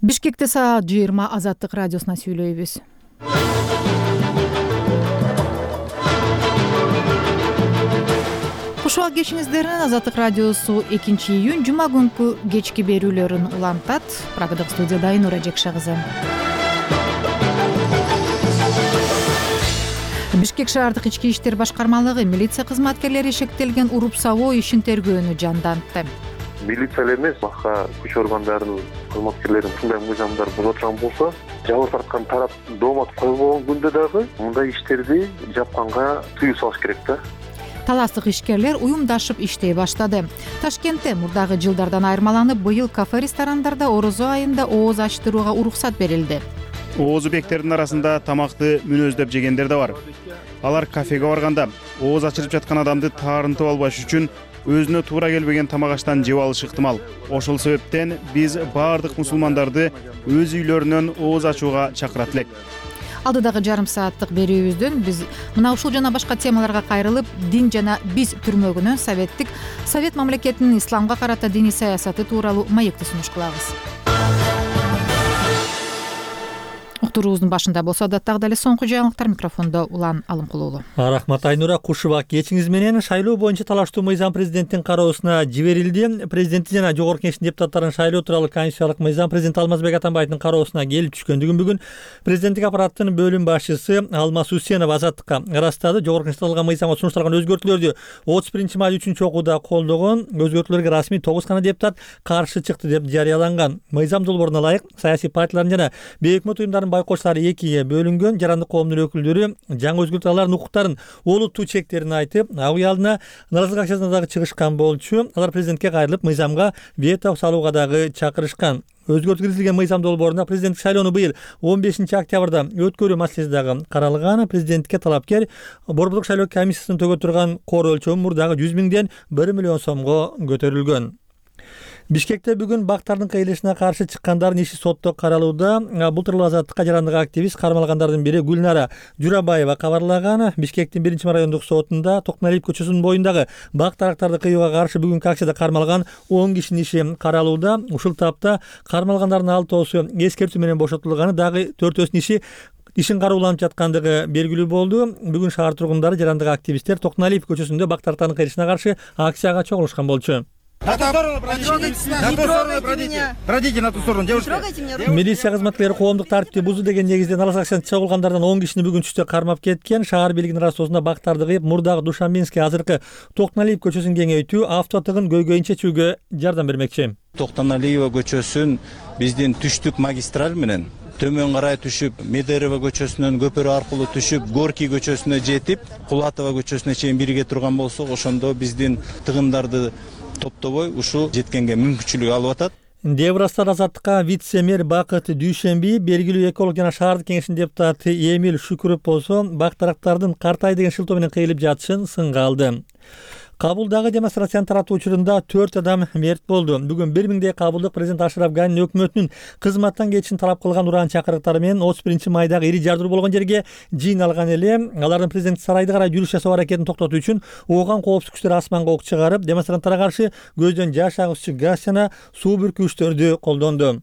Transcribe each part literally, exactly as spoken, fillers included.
Бишкекте саат жыйырма Азаттык радиосуна сүйлөйбүз. Куш убак кешиңиздерин Азаттык радиосу экинчи июнь жума күнкү кечки берүүлөрүн улантат. Прагадык студияда Айнура Жекша кызы. Бишкек шаардык ички иштер башкармалыгы милиция кызматкерлери шектелген уруп сабоо ишин тергөөнү жандантты. Милиция эмес, башка күч органдарынын кызматкерлерин ушундай мыйзамдар бузуп аткан болсо, жабыр тарткан тарап доомат койбогон күндө дагы мындай иштерди жапканга тыюу салыш керек да. Таластык ишкерлер уюмдашып иштей баштады. Ташкентте мурдагы жылдардан айырмаланып, быйыл кафе-ресторандарда орозо айында ооз ачтырууга уруксат берилди. Оозубектердин арасында тамакты мүнөздөп жегендер да бар. Алар кафеге барганда ооз ачырып жаткан адамды таарынтып албаш үчүн өзүнө туура келбеген тамак аштан жеп алышы ыктымал. Ошол себептен биз баардык мусулмандарды өз үйлөрүнөн ооз ачууга чакырат элек. Алдыдагы жарым сааттык берүүбүздөн биз мына ушул жана башка темаларга кайрылып, дин жана биз түрмөгүнөн советтик Совет мамлекетинин исламга карата диний саясаты тууралуу маекти сунуш кылабыз. Уктуруубуздун башында болсо адаттагы эле соңку жаңылыктар, микрофондо Улан Алымкулуулу. Рахмат Айнура. Куш убак кечиңиз менен шайлоо боюнча талаштуу мыйзам президенттин кароосуна жиберилди. Президенти жана жогорку кеңештин депутаттарын шайлоо тууралуу конституциялык мыйзам президент Алмазбек Атамбаевдин кароосуна келип түшкөндүгүн бүгүн президенттик аппараттын бөлүм башчысы Алмаз Усенов Азаттыкка ырастады. Жогорку кеңеште алган мыйзамга сунушталган өзгөртүүлөрдү отуз биринчи май үчүнчү окууда колдогон. Өзгөртүүлөргө расмий тогуз гана депутат каршы чыкты деп жарыяланган. Мыйзам долбооруна ылайык саясий партиялардын жана бейөкмөт уюмдардын байкоочулары экиге бөлүнгөн. Жарандык коомдун өкүлдөрү жаңы өзгөртүүлөрдүн укуктарын олуттуу чектерин айтып, ак үй алдына нааразылык акчасына дагы чыгышкан болчу. Алар президентке кайрылып, мыйзамга вето салууга дагы чакырышкан. Өзгөртүү киргизилген мыйзам долбоорунда президенттик шайлоону быйыл он бешинчи октябрда өткөрүү маселеси дагы каралган. Президентке талапкер Борбордук шайлоо комиссиясынын төгө турган кор өлчөмү мурдагы жүз миңден бир миллион сомго көтөрүлгөн. Бишкекте бүгүн бактардын кыйылышына каршы чыккандардын иши сотто каралууда. Бул тууралуу Азаттыкка жарандык активист кармалгандардын бири Гүлнара Журабаева кабарлаган. Бишкектин биринчи райондук сотунда Токмалиев көчөсүнүн боюндагы бак дарактарды кыюуга каршы бүгүнкү акцияда кармалган он кишинин иши каралууда. Ушул тапта кармалгандардын алтоосу эскертүү менен бошотулганы, дагы төртөөсүнүн иши ишин карууланып жаткандыгы белгилүү болду. Бүгүн шаар тургундары, жарандык активисттер Токмалиев көчөсүндө бак дарактардын кыйылышына каршы акцияга чогулушкан болчу. Пройдите на ту сторону, девушка. Милиция кызматкерлери коомдук тартипти бузуу деген негизде нааразылык акчасын чогулгандардан он кишини бүгүн түштө кармап кеткен. Шаар бийлигинин ырастоосунда бактарды кыйып, мурдагы Душанбинский, азыркы Токмалиев көчөсүн кеңейтүү, авто тыгын көйгөйүн чечүүгө жардам бермекчи. Токмалиева көчөсүн биздин түштүк магистраль менен төмөн карай түшүп, Медерева көчөсүнөн көпөрө аркылуу түшүп, Горький көчөсүнө жетип, Кулатова көчөсүнө чейин бирге турган болсок, ошондо биздин тыгындарды топтобой ушул жеткенге мүмкүнчүлүк алып атат. деп ырастады Азаттыкка вице-мэр Бакыт Дүйшөнбиев. Белгилүү эколог жана шаардык кеңештин депутаты Эмил Шүкүров болсо бак дарактардын картай деген шылтоо менен кыйылып жатышын сынга алды. Кабулдагы демонстрациянын таратуу учурунда төрт адам мерт болду. Бүгүн бир миңдей кабулдук президент Ашраф Ганин өкмөтүнүн кызматтан кетишин талап кылган уран чакырыктары менен отуз биринчи майдагы ири жардыруу болгон жерге жыйналган эле. Алардын президент сарайды карай жүрүш жасоо аракетин токтотуу үчүн ооган коопсуздук күчтөр асманга ок чыгарып, демонстранттарга каршы көздөн жаш агызчу газ жана суу бүркүүчтөрдү колдонду.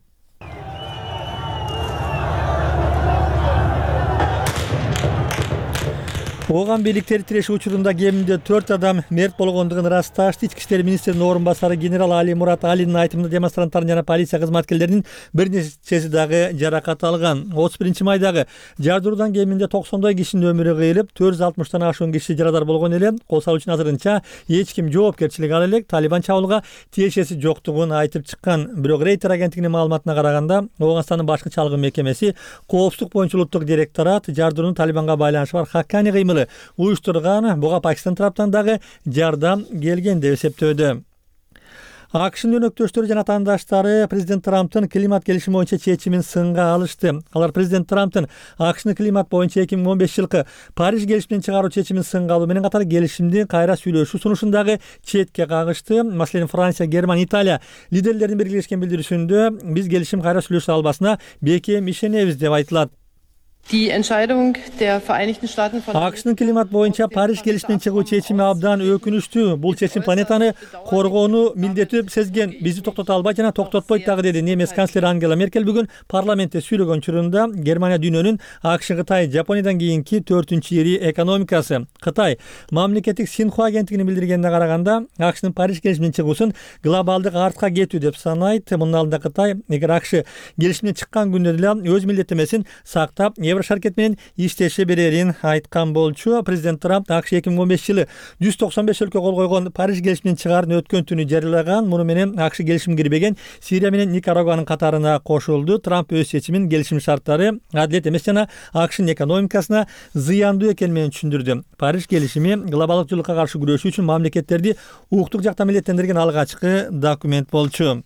Ооган бийликтери тирешүү учурунда кеминде төрт адам мерт болгондугун ырасташты. Ички иштер министринин орун басары генерал Али Мурат Алинин айтымында демонстранттардын жана полиция кызматкерлеринин бир нечеси дагы жаракат алган. отуз биринчи майдагы жардыруудан кеминде токсондой кишинин өмүрү кыйылып, төрт жүз алтымыштан ашуун киши жарадар болгон эле. Кол салуу үчүн азырынча эч ким жоопкерчилик ала элек. Талибан чабуулга тиешеси жоктугун айтып чыккан. Бирок Рейтер агенттигинин маалыматына караганда, Ооганстандын башкы чалгын мекемеси коопсуздук боюнча улуттук директорат жардыруунун Талибанга байланышы бар Хаккани кыймыл уюштурган. Буга Пакистан тараптан дагы жардам келген деп эсептөөдө. АКШнын өнөктөштөрү жана атаандаштары президент Трамптын климат келишими боюнча чечимин сынга алышты. Алар президент Трамптын АКШны климат боюнча эки миң он бешинчи жылкы Париж келишиминен чыгаруу чечимин сынга алуу менен катар келишимди кайра сүйлөшүү сунушун дагы четке кагышты. Маселен, Франция, Германия, Италия лидерлеринин биргелешкен билдирүүсүндө биз келишим кайра сүйлөшө албасына бекем ишенебиз деп айтылат. акшнын климат боюнча Париж келишиминен чыгуу чечими абдан өкүнүчтүү. Бул чечим планетаны коргоону милдеттүү сезген. Бизди токтото албайт жана токтотпойт дагы, деди немец канцлери Ангела Меркель бүгүн парламентте сүйлөгөн учурунда. Германия дүйнөнүн АКШ, Кытай, Жапониядан кийинки төртүнчү ири экономикасы. Кытай мамлекеттик Синхуа агенттигинин билдиргенине караганда, АКШнын Париж келишиминен чыгуусун глобалдык артка кетүү деп санайт. Мунун алдында Кытай эгер АКШ келишимине чыккан күндө деле өз милдеттемесин сактап, Еврошаркет менен иштеше берерин айткан болчу. Президент Трамп АКШ эки миң он бешинчи жылы жүз токсон беш өлкө кол койгон Париж келишиминин чыгаарын өткөн түнү жарыялаган. Муну менен АКШ келишимге кирбеген Сирия менен Никарагуанын катарына кошулду. Трамп өз чечимин келишим шарттары адилет эмес жана АКШнын экономикасына зыяндуу экени менен түшүндүрдү. Париж келишими глобалдык жылуулукка каршы күрөшүү үчүн мамлекеттерди укуктук жактан милдеттендирген алгачкы документ болчу.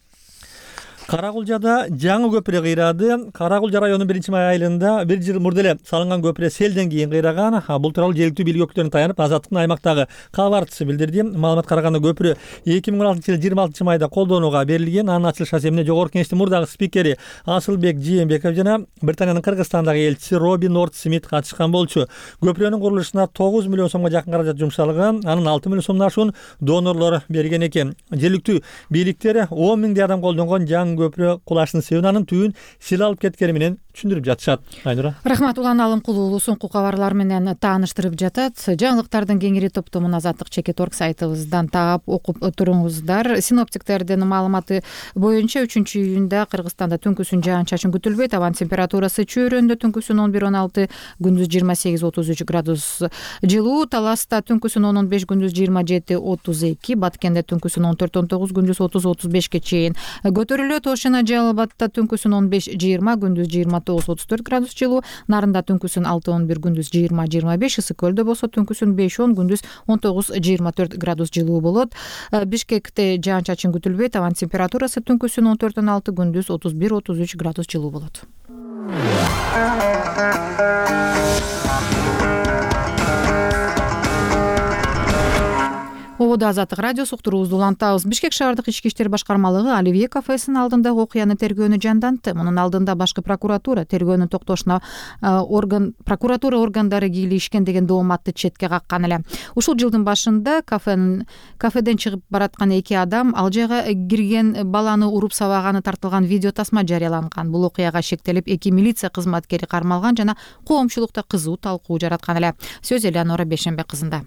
Каракулжада жаңы көпүрө кыйрады. Каракулжа районунун биринчи май айылында бир жыл мурда эле салынган көпүрө селден кийин кыйраган. Бул тууралуу жергиликтүү бийлик өкүлдөрүнө таянып, Азаттыктын аймактагы кабарчысы билдирди. Маалыматка караганда көпүрө эки миң он алтынчы жылы жыйырма алтынчы майда колдонууга берилген. Анын ачылыш асемине Жогорку Кеңештин мурдагы спикери Асылбек Жээнбеков жана Британиянын Кыргызстандагы элчиси Робби Норт Смит катышкан болчу. Көпүрөнүн курулушуна тогуз миллион сомго жакын каражат жумшалган. Анын алты миллион сомдон ашуун донорлор берген экен. Жергиликтүү бийликтер он миңдей адам колдонгон жаңы көпүрө кулаштын себебин, анын түбүн сил алып кеткени менен түшүндүрүп жатышат. Айнура. Рахмат. Улан Алымкулуу соңку кабарлар менен тааныштырып жатат. Жаңылыктардын кеңири топтомун Азаттык чекит точка орг сайтыбыздан таап окуп туруңуздар. Синоптиктердин маалыматы боюнча үчүнчү июнда Кыргызстанда түнкүсүн жаан-чачын күтүлбөйт. Абанын температурасы чөйрөндө түнкүсүн он бир он алты, күндүз жыйырма сегиз отуз үч градус жылуу. Таласта түнкүсүн он он беш, күндүз жыйырма жети отуз эки, Баткенде түнкүсүн он төрт он тогуз, күндүз отуз отуз бешке чейин көтөрүлөт. Ошона Жалал Абадта түнкүсүн он беш жыйырма, күндүз жыйырма тогуз отуз төрт градус жылуу. Нарында түнкүсүн алты он бир, күндүз жыйырма жыйырма беш. Ысык көлдө болсо түнкүсүн беш он, күндүз он тогуз жыйырма төрт градус жылуу болот. Бишкекте жаан-чачын күтүлбөйт. Абанын температурасы түнкүсүн он төрт он алты, күндүз отуз бир отуз үч градус жылуу болот. Ободо Азаттык радиосу уктуруубузду улантабыз. Бишкек шаардык ички иштер башкармалыгы Оливье кафесинин алдындагы окуяны тергөөнү жандантты. Мунун алдында башкы прокуратура тергөөнүн токтошуна орган прокуратура органдары кийлигишкен деген дооматты четке каккан эле. Ушул жылдын башында кафенин кафеден чыгып бараткан эки адам ал жайга кирген баланы уруп сабаганы тартылган видео тасма жарыяланган. Бул окуяга шектелип эки милиция кызматкери кармалган жана коомчулукта кызуу талкуу жараткан эле. Сөз Элеонора Бешембек кызында.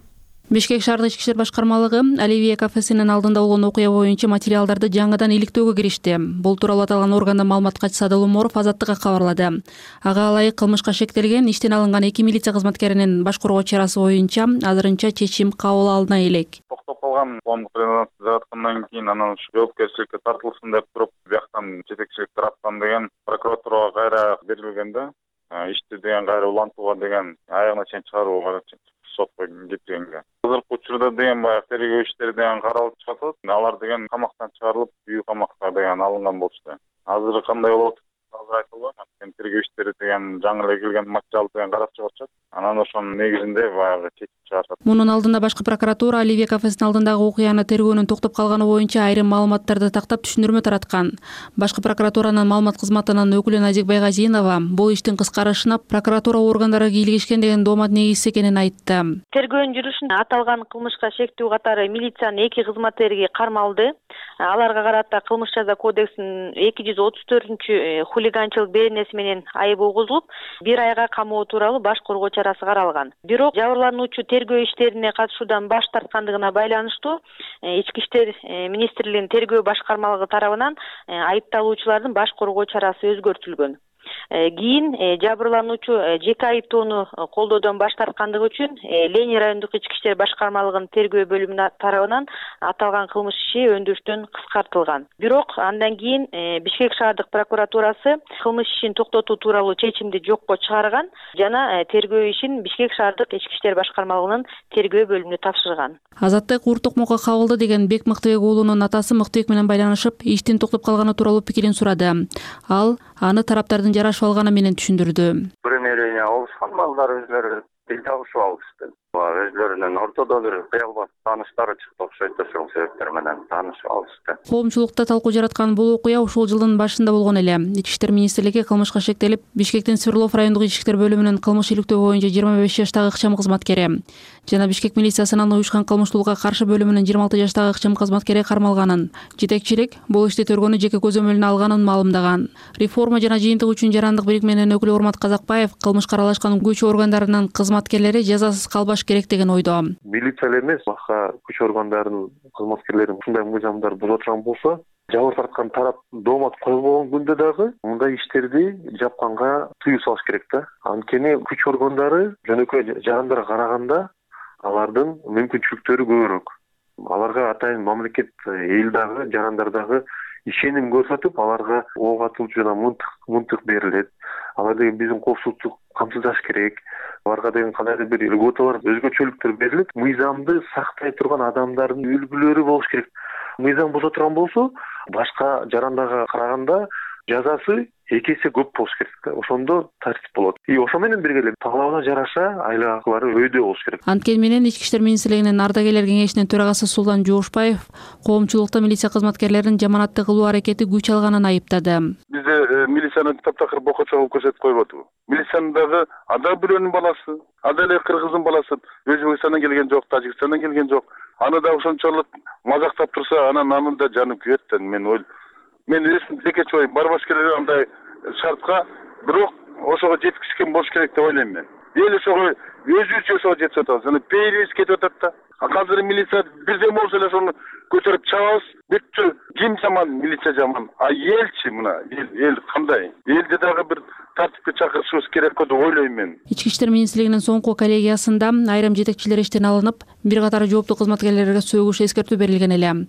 Бишкек шаардык ички иштер башкармалыгы Оливье кафесинин алдында болгон окуя боюнча материалдарды жаңыдан иликтөөгө киришти. Бул тууралуу аталган органдан маалымат катчысы Адыл Уморов Азаттыкка кабарлады. Ага ылайык кылмышка шектелген иштен алынган эки милиция кызматкеринин баш коргоо чарасы боюнча азырынча чечим кабыл алына элек. Токтоп калган коомдук резонанс жараткандан кийин анан жоопкерчиликке тартылсын деп туруп, бияктан жетекчилик тараптан деген прокуратурага кайра берилгенде, ишти деген кайра улантууга деген аягына чейин чыгарууга сотко кеткенге. Азыркы учурда деген баягы тергөө иштери деген каралып жатат. Алар деген камактан чыгарылып, үй камакка деген алынган болчу. Азыр кандай болот? Азыр айта албайм. Тергөө иштери деген жаңы эле келген материал деген карап чыгышат. Анан ошонун негизинде баягы чечим чыгарышат. Мунун алдында башкы прокуратура Оливье кафесинин алдындагы окуяны тергөөнүн токтоп калганы боюнча айрым маалыматтарды тактап түшүндүрмө тараткан. Башкы прокуратуранын маалымат кызматынын өкүлү Назик Байгазинова бул иштин кыскарышына прокуратура органдары кийлигишкен деген доомат негизсиз экенин айтты. Тергөөнүн жүрүшүндө аталган кылмышка шектүү катары милициянын эки кызматкери кармалды. Аларга карата кылмыш жаза кодексинин эки жүз отуз төртүнчү хулиганчылык беренеси менен айып угузулуп, бир айга камоо тууралуу баш коргоо чарасы каралган. Бирок жабырлануучу тергөө иштерине катышуудан баш тарткандыгына байланыштуу ички иштер министрлигинин тергөө башкармалыгы тарабынан айыпталуучулардын баш коргоо чарасы өзгөртүлгөн. Кийин жабырлануучу жеке айыптоону колдоодон баш тарткандыгы үчүн Ленин райондук ички иштер башкармалыгынын тергөө бөлүмүнүн тарабынан аталган кылмыш иши өндүрүштөн кыскартылган. Бирок андан кийин Бишкек шаардык прокуратурасы кылмыш ишин токтотуу тууралуу чечимди жокко чыгарган жана тергөө ишин Бишкек шаардык ички иштер башкармалыгынын тергөө бөлүмүнө тапшырган. Азаттык Ур Токмокко кабылды деген Бек Мыктыбек уулунун атасы Мыктыбек менен байланышып, иштин токтоп калганы тууралуу пикирин сурады. Ал аны тараптардын жарашып алганы менен түшүндүрдү. Примирение алышкан, балдар өзлөрү тил табышып алышты. Өзлөрүнүн ортодо бир кыялбат тааныштары чыкты окшойт, ошол себептер менен таанышып алышты. Коомчулукта талкуу жараткан бул окуя ушул жылдын башында болгон эле. Ички иштер министрлиги кылмышка шектелип, Бишкектин Свердлов райондук ички иштер бөлүмүнүн кылмыш иликтөө боюнча жыйырма беш жаштагы ыкчам кызматкери жана Бишкек милициясынын уюшкан кылмыштуулукка каршы бөлүмүнүн жыйырма алты жаштагы ыкчам кызматкери кармалганын, жетекчилик бул ишти төргөнү жеке көзөмөлүнө алганын маалымдаган. Реформа жана жыйынтык үчүн жарандык бирикменин өкүлү Урмат Казакбаев кылмышка аралашкан күч органдарынын кызматкерлери жазасыз калбаш керек деген ойдо. Милиция эле эмес, башка күч органдарынын кызматкерлери ушундай мыйзамдар буза турган болсо, жабыр тарткан тарап доомат койбогон күндө дагы мындай иштерди жапканга тыюу салыш керек да. Анткени күч органдары жөнөкөй жарандарга караганда алардын мүмкүнчүлүктөрү көбүрөөк. Аларга атайын мамлекет эл дагы, жарандар дагы ишеним көрсөтүп, аларга ок атылчу жана мынтык мынтык берилет. Алар деген биздин коопсуздук камсыздаш керек. Аларга деген кандайдыр бир льготалар, өзгөчөлүктөр берилет. Мыйзамды сактай турган адамдардын үлгүлөрү болуш керек. Мыйзам буза турган болсо, башка жарандарга караганда жазасы эки эсе көп болуш керек да. Ошондо тартип болот. И ошо менен бирге эле талабына жараша айлык акылары өйдө болуш керек. Анткени менен Ички иштер министрлигинин ардагерлер кеңешинин төрагасы Султан Жоошбаев коомчулукта милиция кызматкерлеринин жаманатты кылуу аракети күч алганын айыптады. Бизде милицияны таптакыр бокочо кылып көрсөтүп койбодубу? Милициянын дагы ада бирөөнүн баласы, ада эле кыргыздын баласы, Өзбекстандан келген жок, Тажикстандан келген жок. Аны да ошончолук мазактап турса, анан анын да жаны күйөт да. Мен ой, мен өзүм текечи ой, барбаш керек андай шартка, бирок ошого жеткизген болуш керек деп ойлойм мен. Эл ошого өзүбүз ошого жетип атабыз. Аны пейилибиз кетип атат да. А азыр милиция бирден болсо эле ошону көтөрүп чабабыз. Бүттү. Ким жаман, милиция жаман. А элчи мына, эл эл кандай? Элди дагы бир тартипке чакырышыбыз керек го деп ойлойм мен. Ички иштер министрлигинин соңку коллегиясында айрым жетекчилер иштен алынып, бир катар жооптуу кызматкерлерге сөгүш эскертүү берилген эле.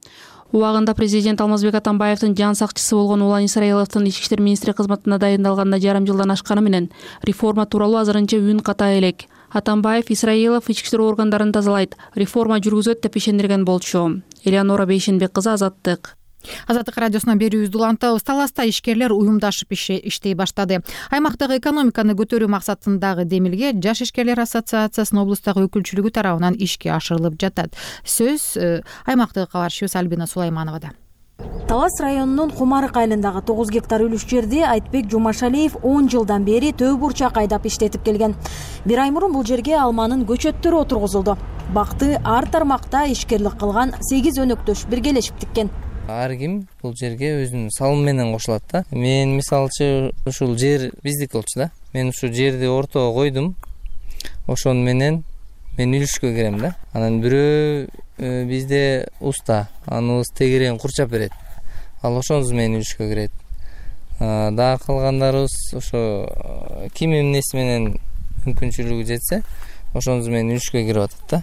Убагында президент Алмазбек Атамбаевдин жан сакчысы болгон Улан Исраиловдун ички иштер министри кызматына дайындалганына жарым жылдан ашканы менен реформа тууралуу азырынча үн ката элек. Атамбаев Исраилов ички иштер органдарын тазалайт, реформа жүргүзөт деп ишендирген болчу. Элеонора Бейшенбек кызы, Азаттык. Азаттык радиосунан берүүбүздү улантабыз. Таласта ишкерлер уюмдашып иштей баштады. Аймактагы экономиканы көтөрүү максатындагы демилге Жаш ишкерлер ассоциациясынын облустагы өкүлчүлүгү тарабынан ишке ашырылып жатат. Сөз аймактагы кабарчыбыз Альбина Сулаймановада. Талас районунун Кумарык айылындагы тогуз гектар үлүш жерди Айтбек Жумашалиев он жылдан бери төө бурчак айдап иштетип келген. Бир ай мурун бул жерге алманын көчөттөрү отургузулду. Бакты ар тармакта ишкерлик кылган сегиз өнөктөш биргелешип тиккен. Ар ким бул жерге өзүнүн салымы менен кошулат да. Мен мисалчы ушул жер биздики болчу да. Мен ушул жерди ортого койдум. Ошону менен мен үлүшкө кирем да. Анан бирөө бизде уста, аныбыз тегерен курчап берет. Ал ошонусу менен үлүшкө кирет. Дагы калгандарыбыз ошо ким эмнеси менен мүмкүнчүлүгү жетсе, ошонусу менен үлүшкө кирип атат да.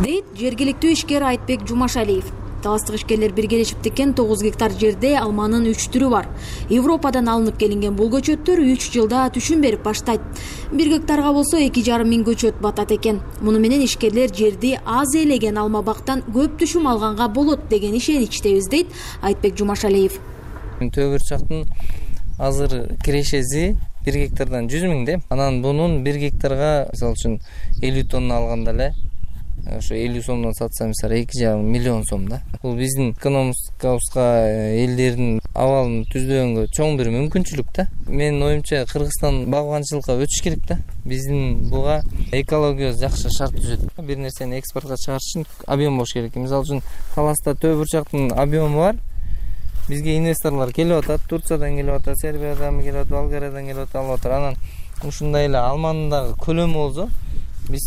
Дейт жергиликтүү ишкер Айтбек Жумашалиев. Таластык ишкерлер биргелешип тиккен тогуз гектар жерде алманын үч түрү бар. Европадан алынып келинген бул көчөттөр үч жылда түшүн берип баштайт. Бир гектарга болсо эки жарым миң көчөт батат экен. Муну менен ишкерлер жерди аз ээлеген алма бактан көп түшүм алганга болот деген ишеничтебиз, дейт Айтбек Жумашалиев. Төө бурчактын азыр кирешеси бир гектардан жүз миң де. Анан бунун бир гектарга мисалы үчүн элүү тонна алганда эле ошо элүү сомдон сатса мисалы эки жарым миллион сом да. Бул биздин экономикабызга, элдердин абалын түздөгөнгө чоң бир мүмкүнчүлүк да. Менин оюмча Кыргызстан багбанчылыкка өтүш керек да. Биздин буга экологиябыз жакшы шарт түзөт. Бир нерсени экспортко чыгарыш үчүн объем болуш керек. Мисалы үчүн Таласта төө бурчактын объему бар. Бизге инвесторлор келип атат, Турциядан келип атат, Сербиядан келип атат, Болгариядан келип атат, алып атат. Анан ушундай эле алманын дагы көлөмү болсо, биз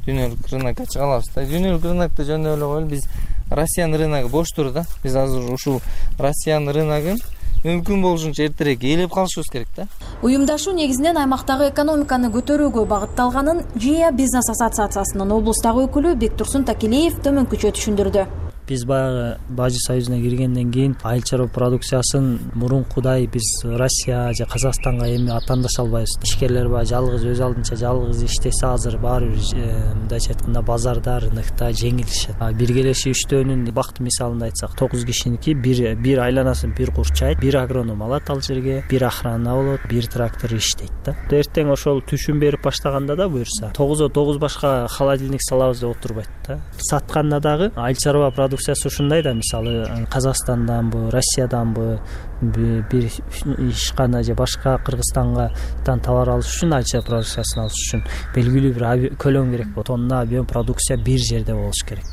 дүйнөлүк рынокко чыга алабыз да. Дүйнөлүк рынокто жөн эле коелу, биз Россиянын рыногу бош тур да. Биз азыр ушул Россиянын рыногун мүмкүн болушунча эртерээк ээлеп калышыбыз керек да. Уюмдашуу негизинен аймактагы экономиканы көтөрүүгө багытталганын Жия бизнес ассоциациясынын облустагы өкүлү Бектурсун Такилеев төмөнкүчө түшүндүрдү. Биз баягы Бажы союзуна киргенден кийин айыл чарба продукциясын мурункудай биз Россия же Казакстанга эми аттандаша албайбыз. Ишкерлер баягы жалгыз өз алдынча жалгыз иштесе азыр баары бир мындайча айтканда базарда, рынокто жеңилишет. Биргелеши иштөөнүн бакты мисалында айтсак, тогуз кишиники бир бир айланасын бир курчайт, бир агроном алат ал жерге, бир охрана болот, бир трактор иштейт да. Эртең ошол түшүн берип баштаганда да буюрса тогузо тогуз башка холодильник салабыз деп отурбайт да. Сатканда дагы айыл чарба продукциясы ушундай да, мисалы Казакстанданбы, Россияданбы бир ишкана же башка Кыргызстангадан товар алыш үчүн, айыл чарба продукциясын алыш үчүн белгилүү бир көлөм керек болот. Тонна объем продукция бир жерде болуш керек.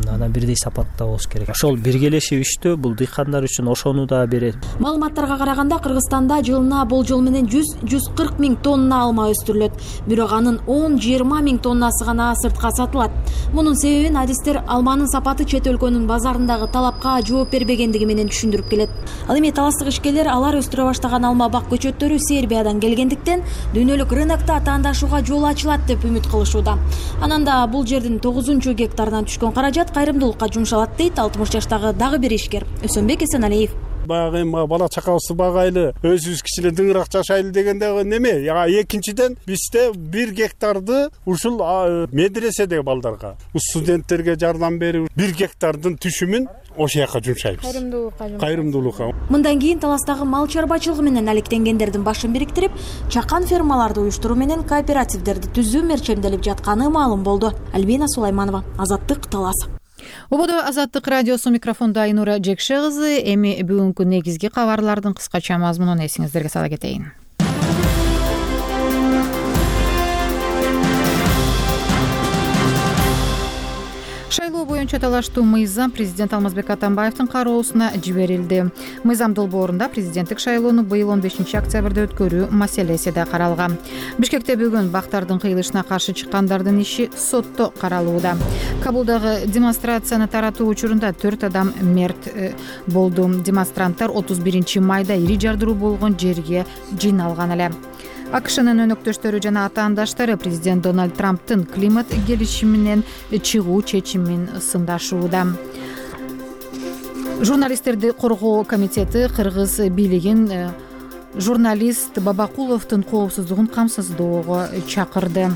Анан бирдей сапатта болуш керек. Ошол биргелешип иштөө бул дыйкандар үчүн ошону да берет. Маалыматтарга караганда Кыргызстанда жылына болжол менен жүз жүз кырк миң тонна алма өстүрүлөт. Бирок анын он жыйырма миң тоннасы гана сыртка сатылат. Мунун себебин адистер алманын сапаты чет өлкөнүн базарындагы талапка жооп бербегендиги менен түшүндүрүп келет. Ал эми таластык ишкерлер алар өстүрө баштаган алма бак көчөттөрү Сербиядан келгендиктен дүйнөлүк рынокто таандашууга жол ачылат деп үмүт кылышууда. Ананда бул жердин тогузунчу гектарынан түшкөн каражат кайрымдуулукка жумшалат дейт алтымыш жаштагы дагы бир ишкер Өсөнбек Эсеналиев. Баягы эми бала чакабызды багайлы, өзүбүз кичине дыңыраак жашайлы дегенде неме? Экинчиден бизде бир гектарды ушул медреседеги балдарга, студенттерге жардам берип, бир гектардын түшүмүн ошол жака жумшайбыз. Кайрымдуулукка. Кайрымдуулукка. Мындан кийин таластагы мал чарбачылыгы менен алектенгендердин башын бириктирип, чакан фермаларды уюштуруу менен кооперативдерди түзүү мерчемделип жатканы маалым болду. Альбина Сулайманова, Азаттык, Талас. Ободо Азаттык радиосу, микрофондо Айнура Жекше кызы. Эми бүгүнкү негизги кабарлардын кыскача мазмунун эсиңиздерге сала кетейин. Шайлоо боюнча талаштуу мыйзам президент Алмазбек Атамбаевдин кароосуна жиберилди. Мыйзам долбоорунда президенттик шайлоону быйыл он бешинчи октябрда өткөрүү маселеси да каралган. Бишкекте бүгүн бактардын кыйылышына каршы чыккандардын иши сотто каралууда. Кабулдагы демонстрацияны таратуу учурунда төрт адам мерт болду. Демонстранттар отуз биринчи майда ири жардыруу болгон жерге жыйналган эле. АКШнын өнөктөштөрү жана атаандаштары президент Дональд Трамптын климат келишиминен чыгуу чечимин сындашууда. Журналисттерди коргоо комитети Кыргыз бийлигин журналист Бабакуловдун коопсуздугун камсыздоого чакырды.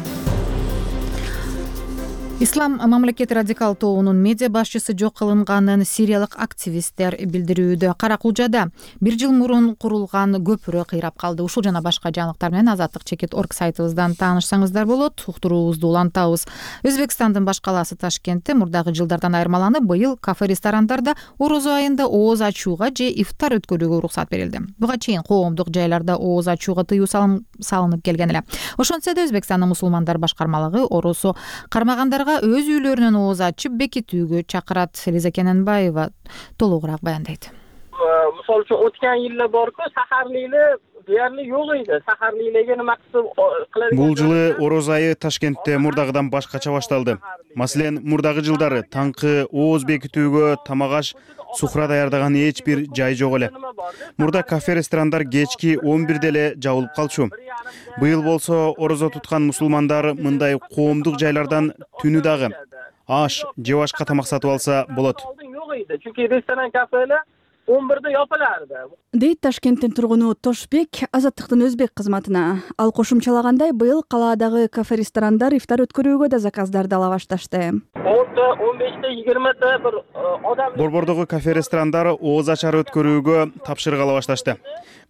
Ислам мамлекети радикал тобунун медиа башчысы жок кылынганын сириялык активисттер билдирүүдө. Каракулжада бир жыл мурун курулган көпүрө кыйрап калды. Ушул жана башка жаңылыктар менен азаттык чекит точка орг сайтыбыздан таанышсаңыздар болот. Уктуруубузду улантабыз. Өзбекстандын баш калаасы Ташкентте мурдагы жылдардан айырмаланып, быйыл кафе-ресторандарда орозо айында ооз ачууга же ифтар өткөрүүгө уруксат берилди. Буга чейин коомдук жайларда ооз ачууга тыюу салынып келген эле. Ошентсе да Өзбекстандын мусулмандар башкармалыгы орозо кармагандарга өз үйлөрүнөн ооз ачып бекитүүгө чакырат. Элиза Кененбаева толугураак баяндайт. Мисалы үчүн өткөн жылы борку сахарлыйлы deyarli жок эди. Сахарлыйлыгы максат кылат. Бул жылы ороз айы Ташкентте мурдагыдан башкача башталды. Маселен, мурдагы жылдары таңкы ооз бекитүүгө тамак аш, суфра даярдаган эч бир жай жок эле. Мурда кафе-ресторандар кечки он бирде эле жабылып калчу. Быйыл болсо орозо туткан мусулмандар мындай коомдук жайлардан түнү дагы аш же башка тамак сатып алса болот. Чүнки ресторан, кафелер он бирде япыларды. Дейт Ташкенттин тургуну Тошбек Азаттыктын өзбек кызматына. Ал кошумчалагандай, быйыл калаадагы кафе-ресторандар ифтар өткөрүүгө да заказдарды ала башташты. он беште жыйырмада бир адам Борбордогу кафе-ресторандар ооз ачар өткөрүүгө тапшырык ала башташты.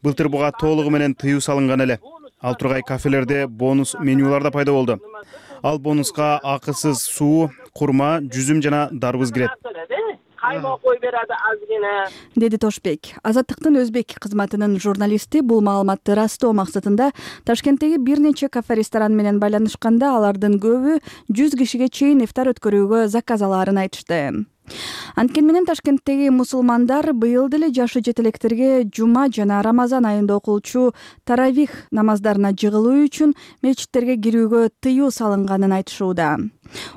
Былтыр буга толугу менен тыюу салынган эле. Ал тургай кафелерде бонус менюлар да пайда болду. Ал бонуска акысыз суу, курма, жүзүм жана дарбыз кирет. Каймак кой берadi азгина. Деди Тошбек. Азаттыктын өзбек кызматынын журналисти бул маалыматты растоо максатында Ташкенттеги бир нече кафе-ресторан менен байланышканда алардын көбү жүз кишиге чейин ифтар өткөрүүгө заказ алаарын айтышты. Анткени менен Ташкенттеги мусулмандар быйыл деле жашы жетелектерге жума жана Рамазан айында окулчу таравих намаздарына жыгылуу үчүн мечиттерге кирүүгө тыюу салынганын айтышууда.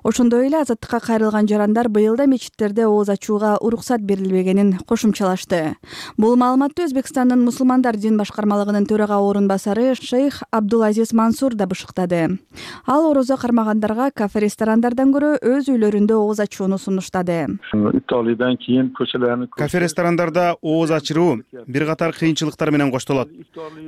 Ошондой эле азаттыкка кайрылган жарандар быйыл да мечиттерде ооз ачууга уруксат берилбегенин кошумчалашты. Бул маалыматты Өзбекстандын мусулмандар дин башкармалыгынын төрага орун басары шейх Абдулазиз Мансур да бышыктады. Ал орозо кармагандарга кафе-ресторандардан көрө өз үйлөрүндө ооз ачууну сунуштады. ифтарлыйдан кийин көчөлөрдү кафе ресторандарда ооз ачыруу бир катар кыйынчылыктар менен коштолот.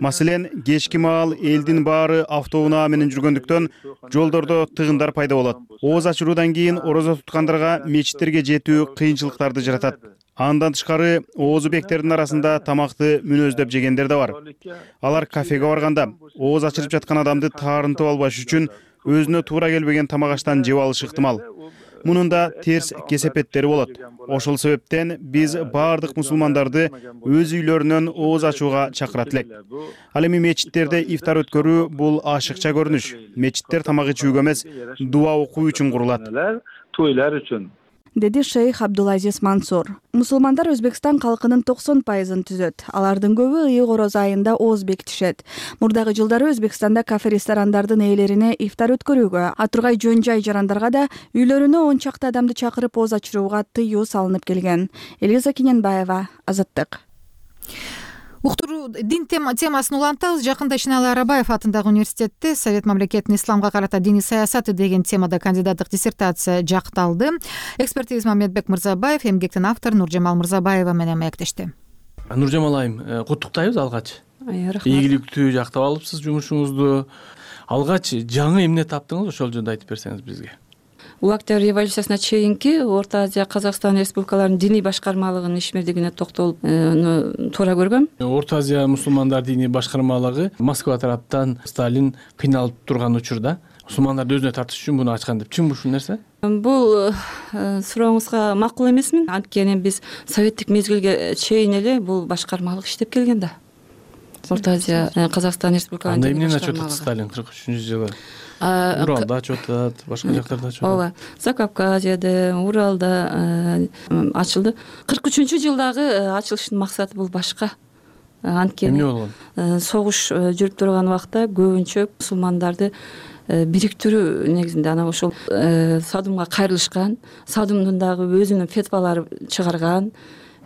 Маселен, кечки маал элдин баары автоунаа менен жүргөндүктөн жолдордо тыгындар пайда болот. Ооз ачыруудан кийин орозо туткандарга мечиттерге жетүү кыйынчылыктарды жаратат. Андан тышкары оозубектердин арасында тамакты мүнөздөп жегендер да бар. Алар кафеге барганда ооз ачырып жаткан адамды таарынтып албаш үчүн өзүнө туура келбеген тамак аштан жеп алышы ыктымал. Мунун да терс кесепеттери болот. Ошол себептен биз баардык мусулмандарды өз үйлөрүнөн ооз ачууга чакырат элек. Ал эми мечиттерде ифтар өткөрүү бул ашыкча көрүнүш. Мечиттер тамак ичүүгө эмес, дуа окуу үчүн курулат. Тойлар үчүн, деди шейх Абдулазиз Мансур. Мусулмандар Өзбекстан калкынын токсон пайызын түзөт. Алардын көбү ыйык орозо айында ооз бекитишет. Мурдагы жылдары Өзбекстанда кафе ресторандардын ээлерине ифтар өткөрүүгө, а тургай жөн жай жарандарга да үйлөрүнө он чакты адамды чакырып ооз ачырууга тыюу салынып келген. Элиза Киненбаева, Азаттык. Уктуруу дин темасын улантабыз. Жакында Ишенали Арабаев атындагы университетте Совет мамлекетинин исламга карата диний саясаты деген темада кандидаттык диссертация жакталды. Эксперт Мамедбек Мырзабаев эмгектин автору Нуржамал Мырзабаева менен маектешти. Нуржамал айым, куттуктайбыз алгач. Ийгиликтүү жактап алыпсыз жумушуңузду. Алгач жаңы эмне таптыңыз, ошол жөнүндө айтып берсеңиз бизге. Октябрь революциясына чейинки Орто Азия, Казакстан республикаларынын диний башкармалыгынын ишмердигине токтолуп туура көргөм. Орто Азия мусулмандар диний башкармалыгы Москва тараптан Сталин кыйналып турган учурда мусулмандарды өзүнө тартыш үчүн буну ачкан деп. Чынбы ушул нерсе? Бул сурооңузга макул эмесмин. Анткени биз советтик мезгилге чейин эле бул башкармалык иштеп келген да. Орто Азия, Казакстан республикаларынын анда эмнени ачып атат Сталин кырк үчүнчү жылы? Уралда ачып атат, башка жактарда ачып атат. Ооба, Закавказьеде, Уралда ачылды. кырк үчүнчү жылдагы ачылыштын максаты бул башка. Анткени эмне болгон? Согуш жүрүп турган убакта көбүнчө мусулмандарды бириктирүү негизинде анан ошол Садумга кайрылышкан, Садумдун дагы өзүнүн фетвалары чыгарган.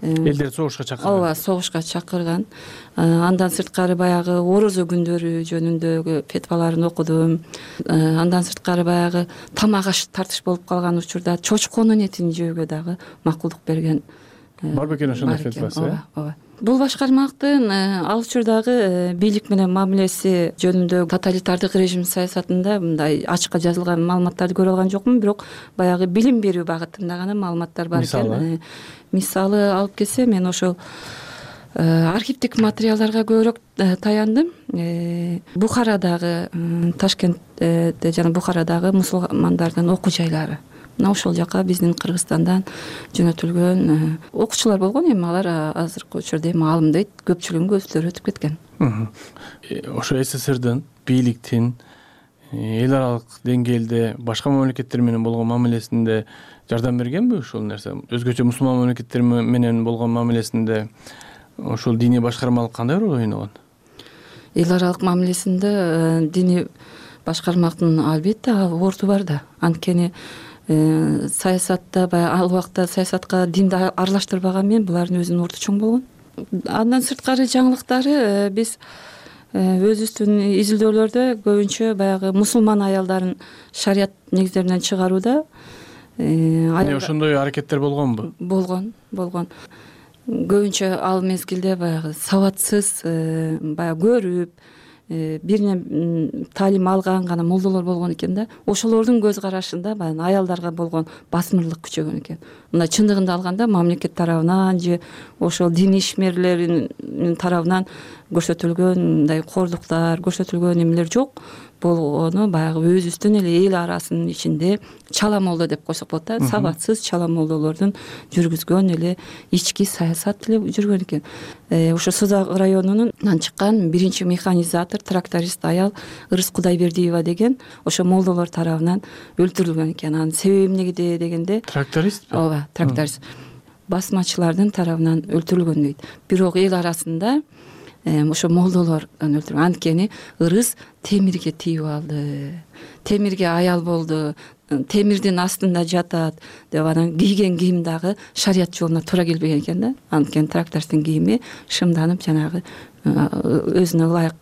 Элдерди согушка чакырган. Ооба, согушка чакырган. Андан сырткары баягы орозо күндөрү жөнүндөгү фетваларын окудум. Андан сырткары баягы тамак аш тартыш болуп калган учурда чочконун этин жөөгө дагы макулдук берген. Бар бекен ошондой фетвасы? Ооба, ооба. Бул башкармалыктын ал учурдагы бийлик менен мамилеси жөнүндө тоталитардык режим саясатында мындай ачыкка жазылган маалыматтарды көрө алган жокмун, бирок баягы билим берүү багытында гана маалыматтар бар экен. Мисалы алып келсе, мен ошол архивдик материалдарга көбүрөөк таяндым. Бухарадагы, Ташкентте жана Бухарадагы мусулмандардын окуу жайлары. Мына ошол жака биздин Кыргызстандан жөнөтүлгөн окуучулар болгон, эми алар азыркы учурда эми маалым дейт, көпчүлүгүнүн көзүлөрү өтүп кеткен. Ошо СССРдин бийликтин эл аралык деңгээлде башка мамлекеттер менен болгон мамилесинде жардам бергенби ушул нерсе? Өзгөчө мусулман мамлекеттер менен болгон мамилесинде ошол диний башкармалык кандай роль ойногон? Эл аралык мамилесинде диний башкармалыктын албетте орду бар да. Анткени саясатта баягы ал убакта саясатка динди аралаштырбаган мен булардын өзүнүн орду чоң болгон. Андан сырткары жаңылыктары биз өзүбүздүн изилдөөлөрдө көбүнчө баягы мусулман аялдарын шарият негиздеринен чыгарууда ошондой аракеттер болгонбу? Болгон, болгон. Көбүнчө ал мезгилде баягы сабатсыз, баягы көрүп, биринен таалим алган гана молдолор болгон экен да. Ошолордун көз карашында баягы аялдарга болгон басмырлык күчөгөн экен. Мына чындыгында алганда мамлекет тарабынан же ошол дин ишмерлеринин тарабынан көрсөтүлгөн мындай кордуктар, көрсөтүлгөн эмелер жок. Болгону баягы өзүбүздүн эле эл арасынын ичинде чала молдо деп койсок болот да. Сабатсыз чала молдолордун жүргүзгөн эле ички саясат эле жүргөн экен. Ошо Созак районунан чыккан биринчи механизатор, тракторист аял Ырыс Кудайбердиева деген ошо молдолор тарабынан өлтүрүлгөн экен. Анын себеби эмнеде дегенде трактористпи? Ооба, тракторист. Басмачылардын тарабынан өлтүрүлгөн дейт. Бирок эл арасында ошо молдолор өлтүргөн. Анткени Ырыс темирге тийип алды. Темирге аял болду. Темирдин астында жатат деп анан кийген кийим дагы шарият жолуна туура келбеген экен да. Анткени трактористтин кийими шымданып жанагы өзүнө ылайык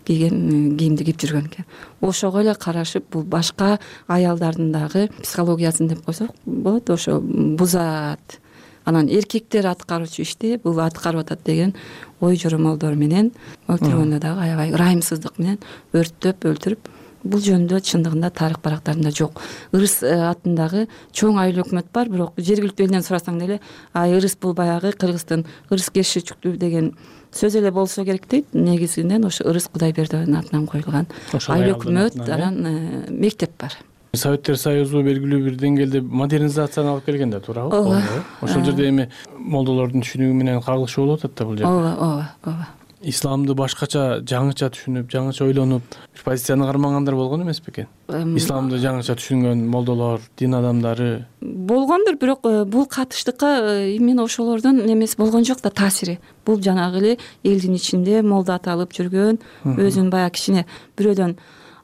кийген кийимди кийип жүргөн экен. Ошого эле карашып бул башка аялдардын дагы психологиясын деп койсок болот, ошо бузат. Анан эркектер аткаруучу ишти бул аткарып атат деген ой жоромолдор менен өлтүргөндө дагы аябай ырайымсыздык менен өрттөп өлтүрүп, бул жөнүндө чындыгында тарых барактарында жок. Ырыс атындагы чоң айыл өкмөт бар, бирок жергиликтүү элден сурасаң деле ай ырыс бул баягы Кыргыздын ырыс кешичүктүү деген сөз эле болсо керек дейт. Негизинен ошо ырыс Кудайбердиевдин атынан коюлган айыл өкмөт, анан мектеп бар. Советтер Союзу белгилүү бир деңгээлде модернизацияны алып келген да, туурабы? Ооба. Ошол жерде эми молдолордун түшүнүгү менен кагылыш болуп атат да бул жерде. Ооба, ооба, ооба. Исламды башкача, жаңыча түшүнүп, жаңыча ойлонуп, бир позицияны кармагандар болгон эмеспи экен? Исламды жаңыча түшүнгөн молдолор, дин адамдары болгондур, бирок бул катыштыкка именно ошолордун эмеси болгон жок да, таасири. Бул жанагы эле элдин ичинде молдо аталып жүргөн, өзүн баягы кичине бирөөдөн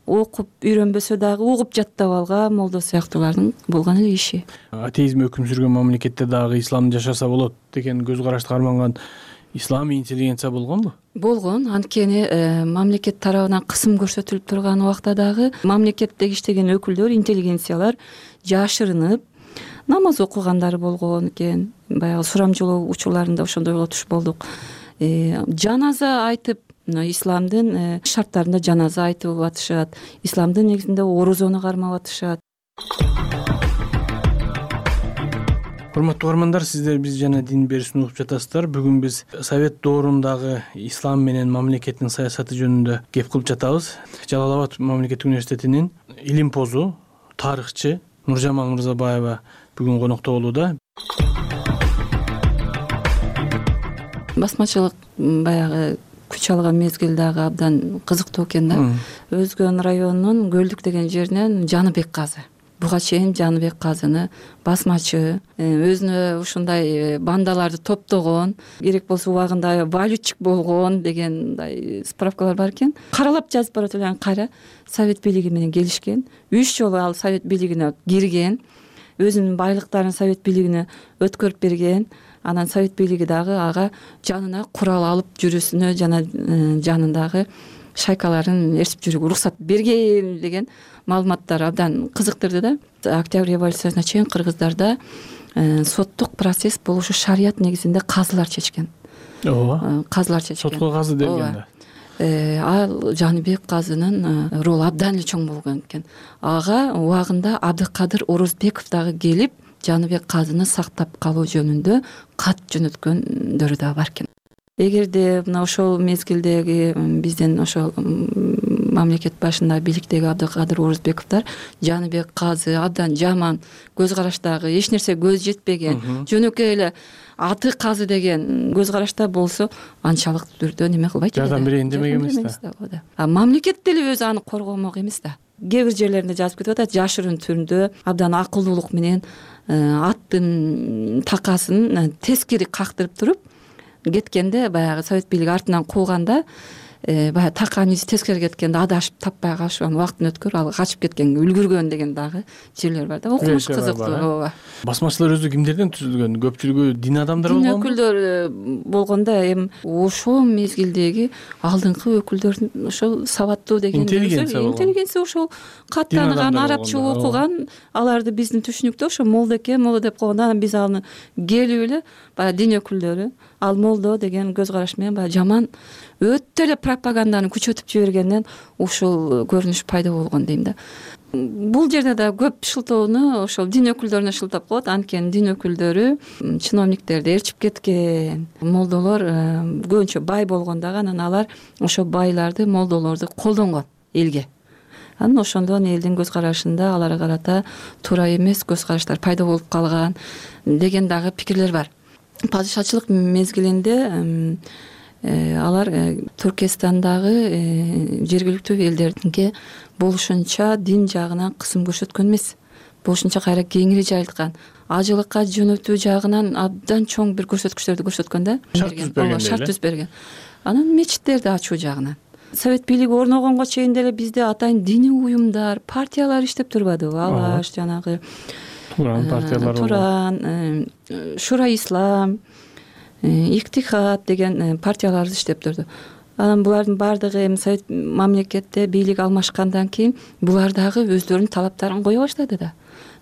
окуп үйрөнбөсө дагы угуп жаттап алган молдо сыяктуулардын болгон эле иши. Атеизм өкүм сүргөн мамлекетте дагы исламды жашаса болот деген көз карашты карманган ислам интеллигенция болгонбу? Болгон. Анткени мамлекет тарабынан кысым көрсөтүлүп турган убакта дагы мамлекеттеги иштеген өкүлдөр, интеллигенциялар жашырынып намаз окугандары болгон экен. Баягы сурамжылоо учурларында ошондой болуш болдук. Жаназа айтып, исламдын шарттарында жаназа айтып атышат, исламдын негизинде орозону кармап атышат. Урматтуу угармандар, сиздер биз жана дин берүүсүн угуп жатасыздар. Бүгүн биз Совет доорундагы ислам менен мамлекеттин саясаты жөнүндө кеп кылып жатабыз. Жалал Абад мамлекеттик университетинин илимпозу, тарыхчы Нуржамал Мырзабаева бүгүн конокто болууда. Басмачылык баягы күч алган мезгил дагы абдан кызыктуу экен да. Өзгөн районунун Көлдүк деген жеринен Жаныбек казы. Буга чейин Жаныбек казыны басмачы, өзүнө ушундай бандаларды топтогон, керек болсо убагында валютчик болгон деген мындай справкалар бар экен. Каралап жазып барат элем, кайра Совет бийлиги менен келишкен. Үч жолу ал Совет бийлигине кирген, өзүнүн байлыктарын Совет бийлигине өткөрүп берген. Анан Совет бийлиги дагы ага жанына курал алып жүрүүсүнө жана жанындагы шайкаларын ээрчип жүрүүгө уруксат берген деген маалыматтар абдан кызыктырды да. Октябрь революциясына чейин кыргыздарда соттук процесс бул ушу шарият негизинде казылар чечкен. Ооба. Казылар чечкен. Сотко казы деген да. Ал Жаныбек казынын ролу абдан эле чоң болгон экен. Ага убагында Абдыкадыр Орозбеков дагы келип, Жаныбек казыны сактап калуу жөнүндө кат жөнөткөндөрү да бар экен. Эгерде мына ошол мезгилдеги биздин ошол мамлекет башында бийликтеги Абдыкадыр Орозбековдор Жаныбек казы абдан жаман көз караштагы, эч нерсе көз жетпеген, жөнөкөй эле аты казы деген көз карашта болсо, анчалык түрдө неме кылбайт эле. Жардам берейин демек эмес да. А мамлекет деле өзү аны коргомок эмес да. Кээ бир жерлеринде жазып кетип атат, жашырын түрдө абдан акылдуулук менен аттын такасын тескери кактырып туруп кеткенде, баягы Совет бийлиги артынан кууганда, баягы таканын изи тескери кеткенде адашып таппай калышып, анан убакыт өткөр ал качып кеткенге үлгүргөн деген дагы жерлер бар да. Окумуш кызыктуу. Ооба. Басмачылар өзү кимдерден түзүлгөн? Көпчүлүгү дин адамдары болгонбу? Дин өкүлдөр болгондо эми ошол мезгилдеги алдыңкы өкүлдөрдүн ошол сабаттуу деген интеллигенция ошол каттанган, арабча окуган, аларды биздин түшүнүктө ошо молдо экен, молдо деп койгондо анан биз аны келип эле баягы дин өкүлдөрү ал молдо деген көз караш менен баягы жаман өтө эле пропаганданы күчөтүп жибергенден ушул көрүнүш пайда болгон дейм да. Бул жерде да көп шылтоону ошол дин өкүлдөрүнө шылтап коет. Анткени дин өкүлдөрү чиновниктерди ээрчип кеткен. Молдолор көбүнчө бай болгон дагы, анан алар ошо байларды, молдолорду колдонгон элге. Анан ошондон элдин көз карашында аларга карата туура эмес көз караштар пайда болуп калган деген дагы пикирлер бар. Падышачылык мезгилинде алар Түркистандагы жергиликтүү элдердинке болушунча дин жагынан кысым көрсөткөн эмес. Болушунча кайра кеңири жайылткан. Ажылыкка жөнөтүү жагынан абдан чоң бир көрсөткүчтөрдү көрсөткөн да. Шарт түзүп берген. Анан мечиттерди ачуу жагынан. Совет бийлиги орногонго чейин деле бизде атайын диний уюмдар, партиялар иштеп турбадыбы? Алаш, жанагы Туран партиялар, Туран, Шура Ислам, Иктихад деген партиялар иштеп турду. анан булардын баардыгы эми совет мамлекетте бийлик алмашкандан кийин булар дагы өздөрүнүн талаптарын кое баштады да.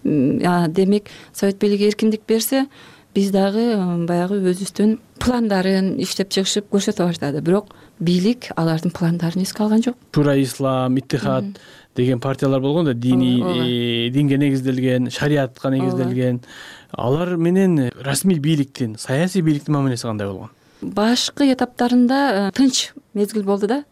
Демек совет бийлиги эркиндик берсе, биз дагы баягы өзүбүздүн пландарын иштеп чыгышып көрсөтө баштады. Бирок бийлик алардын пландарын эске алган жок. Шура ислам, иттихад деген партиялар болгон да, диний динге негизделген, шариатка негизделген. Алар менен расмий бийликтин, саясий бийликтин мамилеси кандай болгон? Башкы этаптарында тынч мезгил болду да.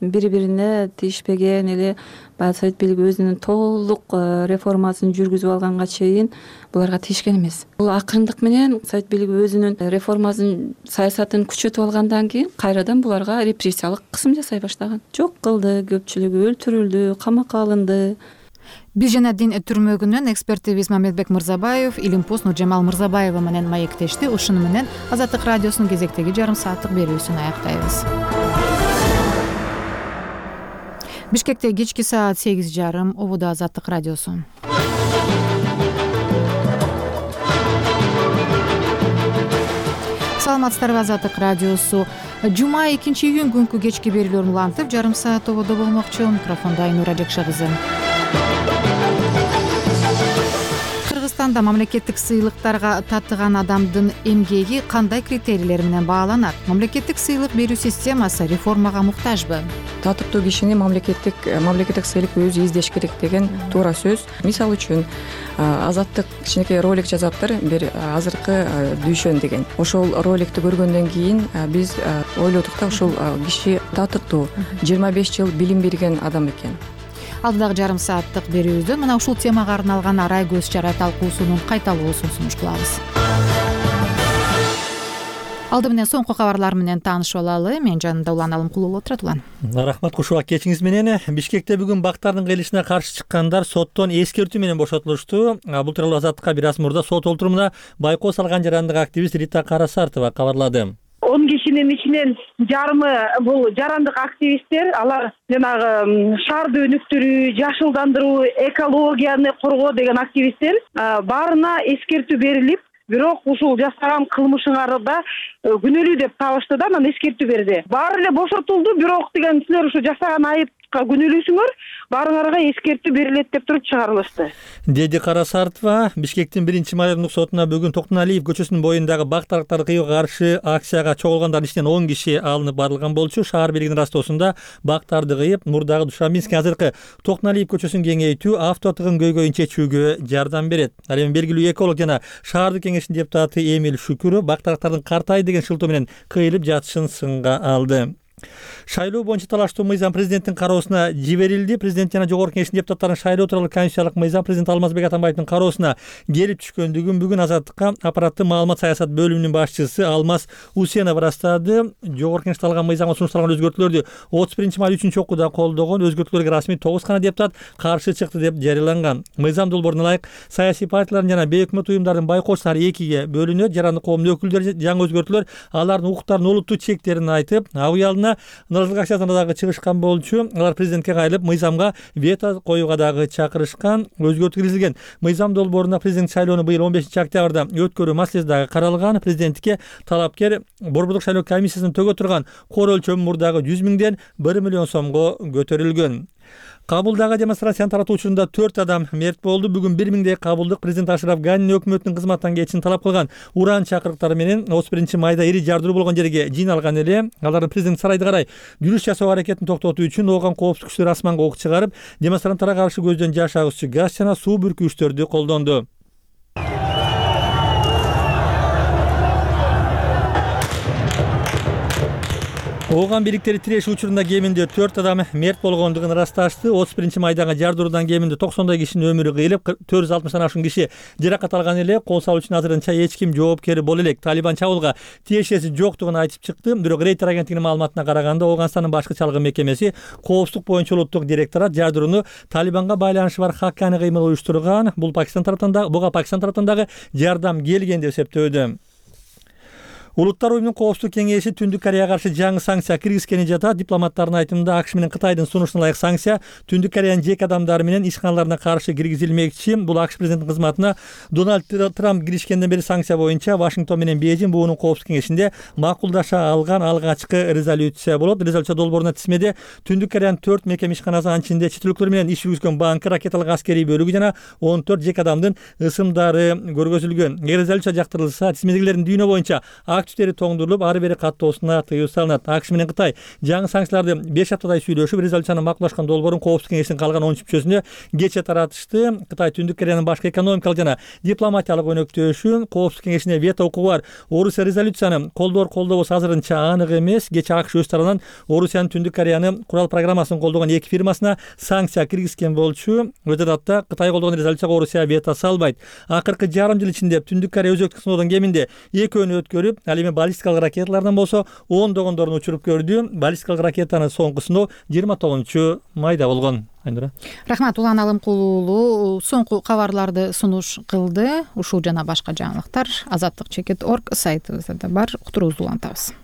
Бири-бирине тийишпеген эле баягы совет бийлиги өзүнүн толук реформасын жүргүзүп алганга чейин буларга тийишкен эмес. Бул акырындык менен совет бийлиги өзүнүн реформасын, саясатын күчөтүп алгандан кийин кайрадан буларга репрессиялык кысым жасай баштаган. Жок кылды, көпчүлүгү өлтүрүлдү, камакка алынды. Биз жана дин түрмөгүнөн экспертибиз Мамедбек Мырзабаев, Илимпоз Нуржамал Мырзабаева менен маектешти. Ушуну менен Азаттык радиосунун кезектеги жарым сааттык берүүсүн аяктайбыз. Бишкекте кечки саат сегиз жарым, ободо Азаттык радиосу. Саламатсыздарбы, Азаттык радиосу. Жума экинчи июнь күнкү кечки берүүлөрүн улантып, жарым саат ободо болмокчу. Микрофондо Айнура Жакша кызы. Кыргызстанда мамлекеттик сыйлыктарга татыган адамдын эмгеги кандай критерийлер менен бааланат? Мамлекеттик сыйлык берүү системасы реформага муктажбы? Татыктуу кишини мамлекеттик мамлекеттик сыйлык өзү издеш керек деген туура сөз. Мисалы үчүн Азаттык кичинекей ролик жазаптыр, бир азыркы дүйшөн деген. Ошол роликти көргөндөн кийин биз ойлодук да, ушул киши татыктуу, жыйырма беш жыл билим берген адам экен. Алдыдагы жарым сааттык берүүбүздөн мына ушул темага арналган арай көз чара талкуусунун кайталоосун сунуш кылабыз. Алды менен соңку кабарлар менен таанышып алалы. Мен жанымда Улан Алымкулуу отурат. Улан. Рахмат, кушубак кечиңиз менен. Бишкекте бүгүн бактардын кыйылышына каршы чыккандар соттон эскертүү менен бошотулушту. Бул тууралуу Азаттыкка бир аз мурда сот олтурумуна байкоо салган жарандык активист Рита Карасартова кабарлады. он кишинин ичинен жарымы бул жарандык активисттер. Алар жанагы шаарды өнүктүрүү, жашылдандыруу, экологияны коргоо деген активисттер. Баарына эскертүү берилип, бирок ушул жасаган кылмышыңарда күнөөлүү деп табышты да, анан эскертүү берди. Баары эле бошотулду, бирок деген силер ушу жасаган айыпка күнөөлүүсүңөр, баарыңарга эскертүү берилет деп туруп чыгарылышты, деди Карасартова. Бишкектин биринчи майордук сотуна бүгүн Токтоналиев көчөсүнүн боюндагы бактарыктар кыюуга каршы акцияга чогулгандардын ичинен он киши алынып барылган болчу. Шаар бийлигинин растоосунда бактарды кыйып, мурдагы Душаминский азыркы Токтоналиев көчөсүн кеңейтүү, авто тыгын көйгөйүн чечүүгө жардам берет. Ал эми белгилүү эколог жана шаардык кеңештин депутаты Эмил Шүкүров бактарыктардын картай деген шылтоо менен кыйылып жатышын сынга алды. Шайлоо боюнча талаштуу мыйзам президенттин кароосуна жиберилди. Президент жана жогорку кеңештин депутаттарынын шайлоо тууралуу конституциялык мыйзам президент Алмазбек Атамбаевдин кароосуна келип түшкөндүгүн бүгүн Азаттыкка аппараттын маалымат саясат бөлүмүнүн башчысы Алмаз Усенов ырастады. Жогорку кеңеште алган мыйзамга сунушталган өзгөртүүлөрдү отуз биринчи май үчүнчү окууда колдогон. Өзгөртүүлөргө расмий тогуз гана депутат каршы чыкты деп жарыяланган. Мыйзам долбооруна ылайык саясий партиялардын жана бейөкмөт уюмдардын байкоочулары экиге бөлүнөт. Жарандык коомдун өкүлдөрү жаңы өзгөртүүлөр алардын укуктарынын олуттуу чектерин айтып, абыялына нааразылык акциясына дагы чыгышкан болчу. Алар президентке кайрылып мыйзамга вето коюуга дагы чакырышкан. Өзгөртүү киргизилген мыйзам долбооруна президент шайлоону быйыл он бешинчи октябрда өткөрүү маселеси дагы каралган. Президенттикке талапкер Борбордук шайлоо комиссиясынын төгө турган кор өлчөмү мурдагы жүз миңден бир миллион сомго көтөрүлгөн. Кабулдагы демонстрацияны таратуу учурунда төрт адам мерт болду. Бүгүн бир миңдей кабулдук президент Ашраф Ганин өкмөттүн кызматтан кетишин талап кылган уран чакырыктары менен отуз биринчи майда ири жардыруу болгон жерге жыйналган эле. Алардын президент сарайына карай жүрүш жасоо аракетин токтотуу үчүн ооган коопсуздук күчтөрү асманга ок чыгарып, демонстранттарга каршы көздөн жаш агызчу газ жана суу бүркүүчтөрдү колдонду. Ооган бириктери тирешүү учурунда кеминде төрт адам мерт болгондугун ырасташты. отуз биринчи майдагы жардыруудан кеминде токсондой кишинин өмүрү кыйылып, төрт жүз алтымыштан ашуун киши жаракат алган эле. Кол салуучунун азырынча эч ким жоопкер боло элек. Талибан чабуулга тиешеси жоктугун айтып чыкты. Бирок Рейтер агенттигинин маалыматына караганда Ооганстандын башкы чалгы мекемеси коопсуздук боюнча улуттук директорат жардырууну Талибанга байланышы бар хаккани кыймыл уюштурган. Бул Пакистан тараптан дагы, буга Пакистан тараптан дагы жардам келген деп эсептөөдө. Улуттар уюмунун коопсуздук кеңеши Түндүк Кореяга каршы жаңы санкция киргизгени жатат. Дипломаттардын айтымында АКШ менен Кытайдын сунушуна ылайык санкция Түндүк Кореянын жеке адамдары менен ишканаларына каршы киргизилмекчи. Бул АКШ президентинин кызматына Дональд Трамп киришкенден бери санкция боюнча Вашингтон менен Бейжиң буунун коопсуздук кеңешинде макулдаша алган алгачкы резолюция болот. Резолюция долбооруна тизмеде Түндүк Кореянын төрт мекеме ишканасы, анын ичинде чет өлкөлөр менен иш жүргүзгөн банкы, ракеталык аскерий бөлүгү жана он төрт жеке адамдын ысымдары көргөзүлгөн. Эгер резолюция жактырылса, тизмедегилердин дүйнө боюнча активдери тоңдурулуп, ары бери каттоосуна тыюу салынат. АКШ менен Кытай жаңы санкцияларды беш аптадай сүйлөшүп, резолюцияны макулдашкан долбоорун коопсуздук кеңешинин калган он үч мүчөсүнө кечээ таратышты. Кытай Түндүк Кореянын башкы экономикалык жана дипломатиялык өнөктөшү коопсуздук кеңешине вето укугу бар. Орусия резолюцияны колдоор колдобосу азырынча анык эмес. Кечээ АКШ өз тарабынан Орусиянын Түндүк Кореяны курал программасын колдогон эки фирмасына санкция киргизген болчу. Өз адатта Кытай колдогон резолюцияга Орусия вето салбайт. Акыркы жарым жыл ичинде Түндүк Корея өзөктүк сыноодон кеминде экөөнү өткөрүп, ал эми баллистикалык ракеталардан болсо ондогондорун учуруп көрдү. Баллистикалык ракетанын соңку сыноо жыйырма тогузунчу майда болгон. Айнура. Рахмат, Улан Алымкул уулу соңку кабарларды сунуш кылды. Ушул жана башка жаңылыктар азаттык чекит точка орг сайтыбызда да бар. Уктуруубузду улантабыз.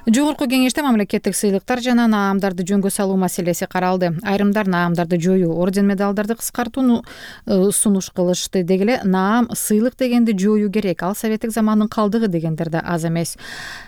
Жогорку кеңеште мамлекеттик сыйлыктар жана наамдарды жөнгө салуу маселеси каралды. Айрымдар наамдарды жоюу, орден медалдарды кыскартууну сунуш кылышты. Деги эле наам, сыйлык дегенди жоюу керек. Ал советтик замандын калдыгы дегендер да аз эмес.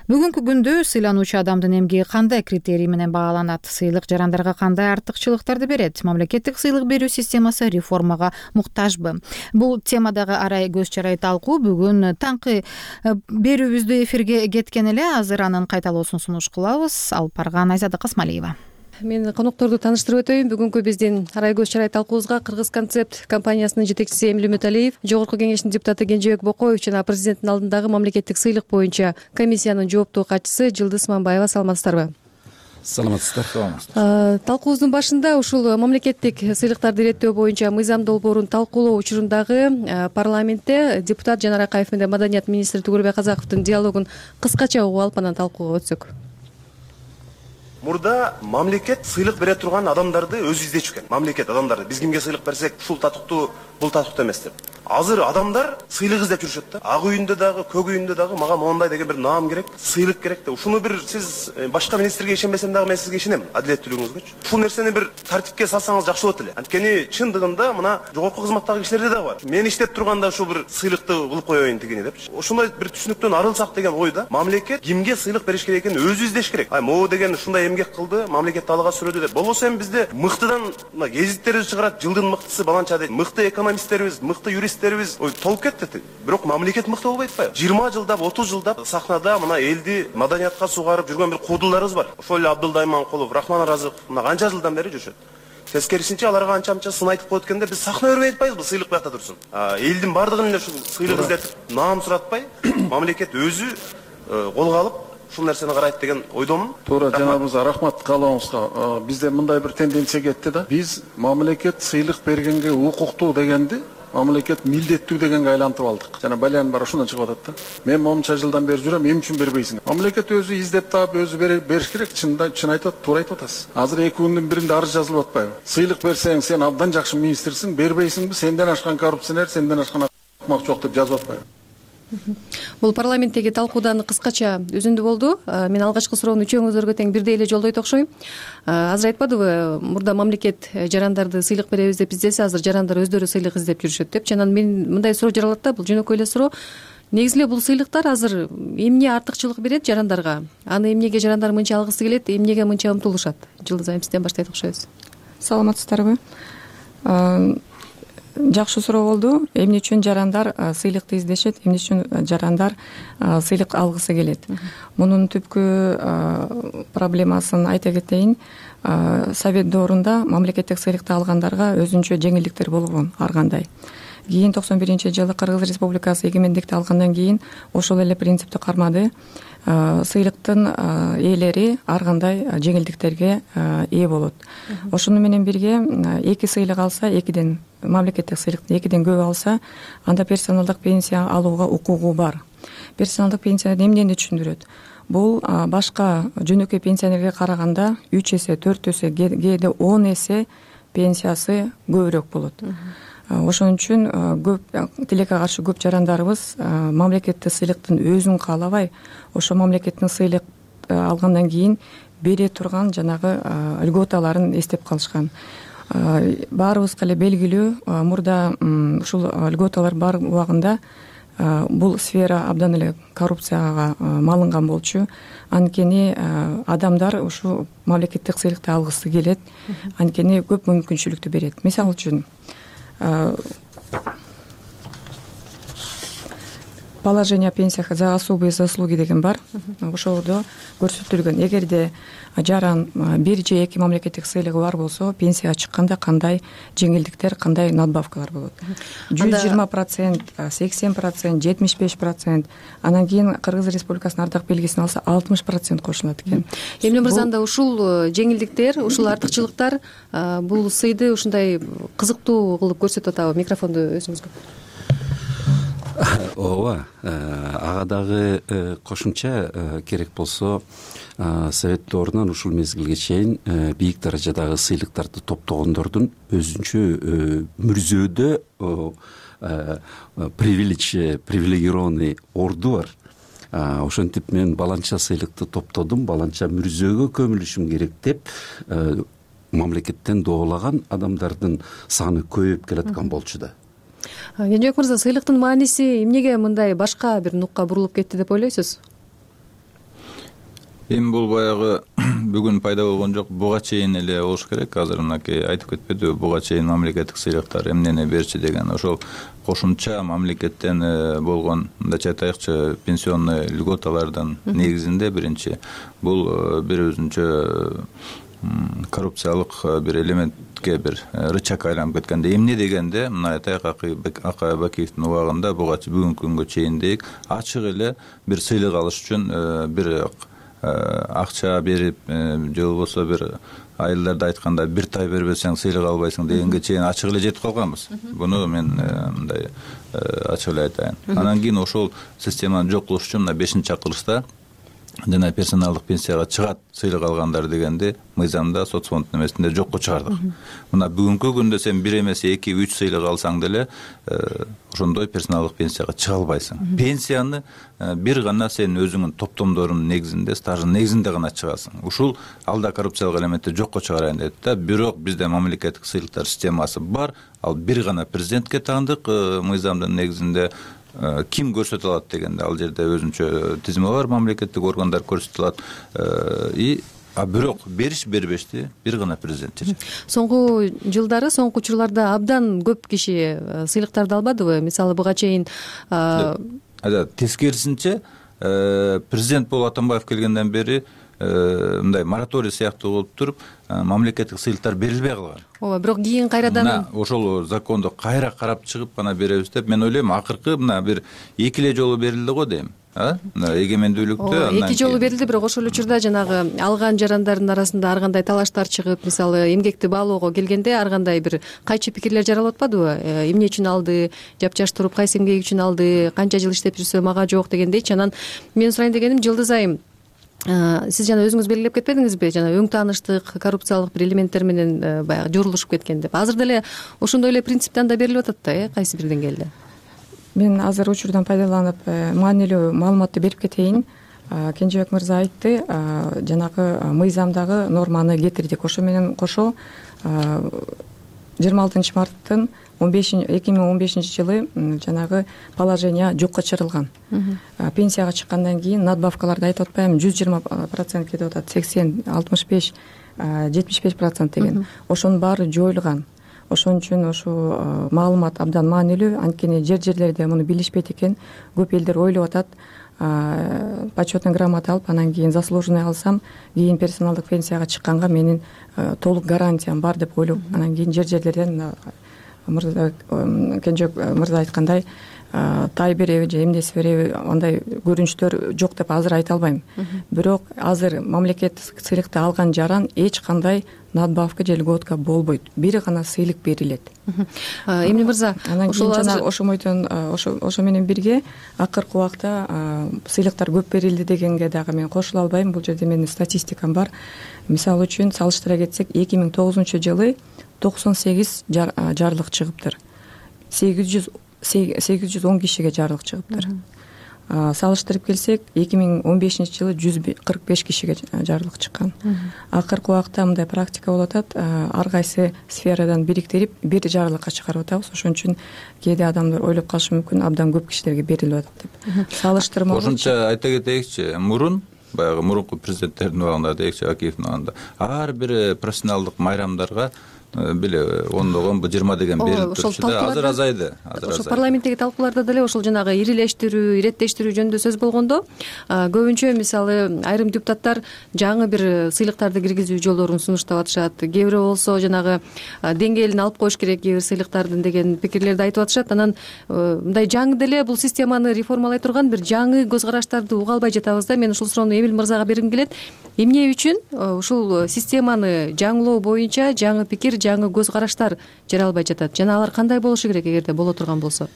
Бүгүнкү күндө сыйлануучу адамдын эмгеги кандай критерий менен бааланат? Сыйлык жарандарга кандай артыкчылыктарды берет? Мамлекеттик сыйлык берүү системасы реформага муктажбы? Бул темадагы арай көз чарай талкуу бүгүн таңкы берүүбүздө эфирге кеткен эле. Азыр анын кайталоосун сунуш кылабыз. Алып барган Айзада Касмалиева. Мен конокторду тааныштырып өтөйүн. Бүгүнкү биздин арай көз чарай талкуубузга Кыргыз концепт компаниясынын жетекчиси Эмиль Үмүталиев, Жогорку кеңештин депутаты Кенжебек Бокоев жана президенттин алдындагы мамлекеттик сыйлык боюнча комиссиянын жооптуу катчысы Жылдыз Мамбаева. Саламатсыздарбы? Саламатсыздар. Талкуубуздун башында ушул мамлекеттик сыйлыктарды иреттөө боюнча мыйзам долбоорун талкуулоо учурундагы парламентте депутат Жанар Акаев менен маданият министри Тугурбек Казаковдун диалогун кыскача угуп алып анан талкууга өтсөк. Мурда мамлекет сыйлык бере турган адамдарды өзү издечү экен. Мамлекет адамдарды биз кимге сыйлык берсек, ушул татыктуу, бул татыктуу эмес деп. Азыр адамдар сыйлык издеп жүрүшөт да. Ак үйүндө дагы, көк үйүндө дагы мага мондай деген бир наам керек, сыйлык керек деп. Ушуну бир сиз башка министрге ишенбесем дагы мен сизге ишенем, адилеттүүлүгүңүзгөчү. Ушул нерсени бир тартипке салсаңыз жакшы болот эле. Анткени чындыгында мына жогорку кызматтагы кишилерде дагы бар. Мен иштеп турганда ушул бир сыйлыкты кылып коеюн тигини депчи. Ошондой бир түшүнүктөн арылсак деген ойда. Мамлекет кимге сыйлык бериш керек экенин өзү издеш керек. Ай, могу деген ушундай эмгек кылды, мамлекетти алга сүрөдү деп. Болбосо эми бизде мыктыдан мына гезиттерибиз чыгарат, жылдын мыктысы баланча дейт. Мыкты экономисттерибиз, мыкты юристтерибиз ой толуп кетти. Бирок мамлекет мыкты болбойт атпайбы? жыйырма жылдап, отуз жылдап сахнада мына элди маданиятка сугарып жүргөн бир куудуларыбыз бар. Ошол эле Абдылда Иманкулов, Рахман Аразыков мына канча жылдан бери жүрүшөт. Тескерисинче аларга анча-мынча сын айтып коет экен деп биз сахна өрбөй атпайбызбы? Сыйлык буякта турсун. Элдин бардыгын эле ушул сыйлык издетип, наам суратпай, мамлекет өзү колго алып ушул нерсени карайт деген ойдомун. Туура, жанабызга рахмат каалооңузга. Бизде мындай бир тенденция кетти да. Биз мамлекет сыйлык бергенге укуктуу дегенди мамлекет милдеттүү дегенге айлантып алдык. Жана балян бар ушундан чыгып атат да. Мен монча жылдан бери жүрөм, эмне үчүн бербейсиң? Мамлекет өзү издеп таап, өзү бериш керек. Чында чын айтат, туура айтып атасыз. Азыр эки күндүн биринде арыз жазылып атпайбы? Сыйлык берсең, сен абдан жакшы министрсиң, бербейсиңби? Сенден ашкан коррупционер, сенден ашкан акмак жок деп жазып атпайбы? Бул парламенттеги талкуудан кыскача үзүндү болду. Мен алгачкы суроону үчөөңүзгө тең бирдей эле жолдойт окшойм. Азыр айтпадыбы, мурда мамлекет жарандарды сыйлык беребиз деп издесе, азыр жарандар өздөрү сыйлык издеп жүрүшөт деп. Жана мен мындай суроо жаралат да, бул жөнөкөй эле суроо. Негизи эле бул сыйлыктар азыр эмне артыкчылык берет жарандарга? Аны эмнеге жарандар мынча алгысы келет, эмнеге мынча умтулушат? Жылдыз айым, сизден баштайт окшойбуз. Саламатсыздарбы? Жакшы суроо болду. Эмне үчүн жарандар сыйлыкты издешет, эмне үчүн жарандар сыйлык алгысы келет? Мунун түпкү проблемасын айта кетейин. Совет доорунда мамлекеттик сыйлыкты алгандарга өзүнчө жеңилдиктер болгон ар кандай. Кийин токсон биринчи жылы Кыргыз Республикасы эгемендикти алгандан кийин ошол эле принципти кармады. Сыйлыктын ээлери ар кандай жеңилдиктерге ээ болот. Ошону менен бирге эки сыйлык алса, экиден мамлекеттик сыйлыкты экиден көп алса, анда персоналдык пенсия алууга укугу бар. Персоналдык пенсия эмнени түшүндүрөт? Бул башка жөнөкөй пенсионерге караганда үч эсе, төрт эсе, кээде он эсе пенсиясы көбүрөөк болот. Ошон үчүн көп тилекке каршы көп жарандарыбыз мамлекеттик сыйлыктын өзүн каалабай, ошо мамлекеттин сыйлык алгандан кийин бере турган жанагы льготаларын эстеп калышкан. Баарыбызга эле белгилүү, мурда ушул льготалар бар убагында бул сфера абдан эле коррупцияга малынган болчу. Анткени адамдар ушу мамлекеттик сыйлыкты алгысы келет, анткени көп мүмкүнчүлүктү берет. Мисалы үчүн положение о пенсиях за особые заслуги деген бар. Ошолдо көрсөтүлгөн, эгерде жаран бир же эки мамлекеттик сыйлыгы бар болсо, пенсияга чыкканда кандай жеңилдиктер, кандай надбавкалар болот. жүз жыйырма процент, сексен процент, жетимиш беш процент, анан кийин Кыргыз Республикасынын ардак белгисин алса алтымыш процент кошулат экен. Эмне мырзанда ушул жеңилдиктер, ушул артыкчылыктар бул сыйды ушундай кызыктуу кылып көрсөтүп атабы? Микрофонду өзүңүзгө. Ооба, ага дагы кошумча керек болсо Совет дорунан ушул мезгилге чейин бийик даражадагы сыйлыктарды топтогондордун өзүнчө мүрзөөдө привилегированный орду бар. Ошентип мен баланча сыйлыкты топтодум, баланча мүрзөөгө көмүлүшүм керек деп мамлекеттен доолаган адамдардын саны көбөйүп келаткан болчу да. Кенжебек мырза, сыйлыктын мааниси эмнеге мындай башка бир нукка бурулуп кетти деп ойлойсуз? Эми бул баягы бүгүн пайда болгон жок, буга чейин эле болуш керек. Азыр мынакей айтып кетпедиби, буга чейин мамлекеттик сыйлыктар эмнени берчи деген, ошол кошумча мамлекеттен болгон, мындайча айтайыкчы, пенсионный льготалардын негизинде биринчи бул бир өзүнчө коррупциялык бир элементке бир рычаг айланып кеткенде. Эмне дегенде, мына айтайык, Акай Бакиевдин убагында буга бүгүнкү күнгө чейин дейик, ачык эле бир сыйлык алыш үчүн бир акча берип же болбосо бир айылдарда айтканда бир тай бербесең сыйлык албайсың дегенге чейин ачык эле жетип калганбыз. Буну мен мындай ачык эле айтайын. Анан кийин ошол системаны жок кылыш үчүн мына бешинчи чакырылышта жана персоналдык пенсияга чыгат сыйлык алгандар дегенди мыйзамда соцфонддун эмесинде жокко чыгардык. Мына бүгүнкү күндө сен бир эмес эки үч сыйлык алсаң деле ошондой персоналдык пенсияга чыга албайсың. Пенсияны бир гана сен өзүңүн топтомдорунун негизинде, стаждын негизинде гана чыгасың. Ушул алда коррупциялык элементти жокко чыгарайын дейт да. Бирок бизде мамлекеттик сыйлыктар системасы бар. Ал бир гана президентке таандык мыйзамдын негизинде. Ким көрсөтө алат дегенде, ал жерде өзүнчө тизме бар, мамлекеттик органдар көрсөтө алат. И а бирок бериш бербешти бир гана президент чечет. Соңку жылдары, соңку учурларда абдан көп киши сыйлыктарды албадыбы? Мисалы буга чейин тескерисинче президент болуп Атамбаев келгенден бери мындай мораторий сыяктуу болуп туруп, мамлекеттик сыйлыктар берилбей калган. Ооба, бирок кийин кайрадан ошол законду кайра карап чыгып гана беребиз деп мен ойлойм. Акыркы мына бир эки эле жолу берилди го дейм. Мына эгемендүүлүктө эки жолу берилди, бирок ошол учурда жанагы алган жарандардын арасында ар кандай талаштар чыгып, мисалы эмгекти баалоого келгенде ар кандай бир кайчы пикирлер жаралып атпадыбы? Эмне үчүн алды, жапжаш туруп кайсы эмгеги үчүн алды, канча жыл иштеп жүрсө мага жок дегендейчи. Анан мен сурайын дегеним, Жылдыз айым, сиз жана өзүңүз белгилеп кетпедиңизби, жана өң тааныштык коррупциялык бир элементтер менен баягы жорулушуп кеткен деп. Азыр деле ошондой эле принциптен да берилип атат да, э, кайсы бир деңгээлде. Мен азыр учурдан пайдаланып маанилүү маалыматты берип кетейин. Кенжебек мырза айтты, жанагы мыйзамдагы норманы кетирдик. Ошо менен кошо жыйырма алтынчы марттын эки миң он бешинчи жылы жанагы положение жокко чыгарылган. Пенсияга чыккандан кийин надбавкаларды айтып атпаймынбы, жүз жыйырма процент кетип атат, сексен, алтымыш беш, жетимиш беш процент деген. Ошонун баары жоюлган. Ошон үчүн ошол маалымат абдан маанилүү, анткени жер-жерлерде муну билишпейт экен. Көп элдер ойлоп атат, почетный грамота алып, анан кийин заслуженный алсам, кийин персоналдык пенсияга чыкканга менин толук гарантиям бар деп ойлоп, анан кийин жер-жерлерден Кенжебек мырза айткандай тай береби же эмнеси береби андай көрүнүштөр жок деп азыр айта албайм. Бирок азыр мамлекеттик сыйлыкты алган жаран эч кандай надбавка же льготка болбойт. Бир гана сыйлык берилет. Эмне мырза, анан кийин жана ошомойдон ошо ошо менен бирге акыркы убакта сыйлыктар көп берилди дегенге дагы мен кошула албайм. Бул жерде менин статистикам бар. Мисалы үчүн салыштыра кетсек, эки миң тогузунчу жылы токсон сегиз жарлык чыгыптыр. сегиз жүз сегиз жүз он кишиге жарлык чыгыптыр. Салыштырып келсек, эки миң он бешинчи жылы жүз кырк беш кишиге жарлык чыккан. Акыркы убакта мындай практика болуп атат. Ар кайсы сферадан бириктирип бир жарлыкка чыгарып атабыз. Ошон үчүн кээде адамдар ойлоп калышы мүмкүн, абдан көп кишилерге берилип атат деп. Салыштырма кошумча айта кетейикчи, мурун баягы мурунку президенттердин убагында дейикчи, Акиевдин убагында ар бир профессионалдык майрамдарга биле ондогон жыйырма деген берилип турчу да, азыр азайды. Ошол парламенттеги талкууларда деле ошол жанагы ирилештирүү, иреттештирүү жөнүндө сөз болгондо, көбүнчө мисалы айрым депутаттар жаңы бир сыйлыктарды киргизүү жолдорун сунуштап атышат. Кээ бири болсо жанагы деңгээлин алып коюш керек кээ бир сыйлыктардын деген пикирлерди айтып атышат. Анан мындай жаңы деле бул системаны реформалай турган бир жаңы көз караштарды уга албай жатабыз да. Мен ушул суроону Эмил мырзага бергим келет. Эмне үчүн ушул системаны жаңылоо боюнча жаңы пикир, жаңы көз караштар жаралбай жатат жана алар кандай болушу керек эгерде боло турган болсо?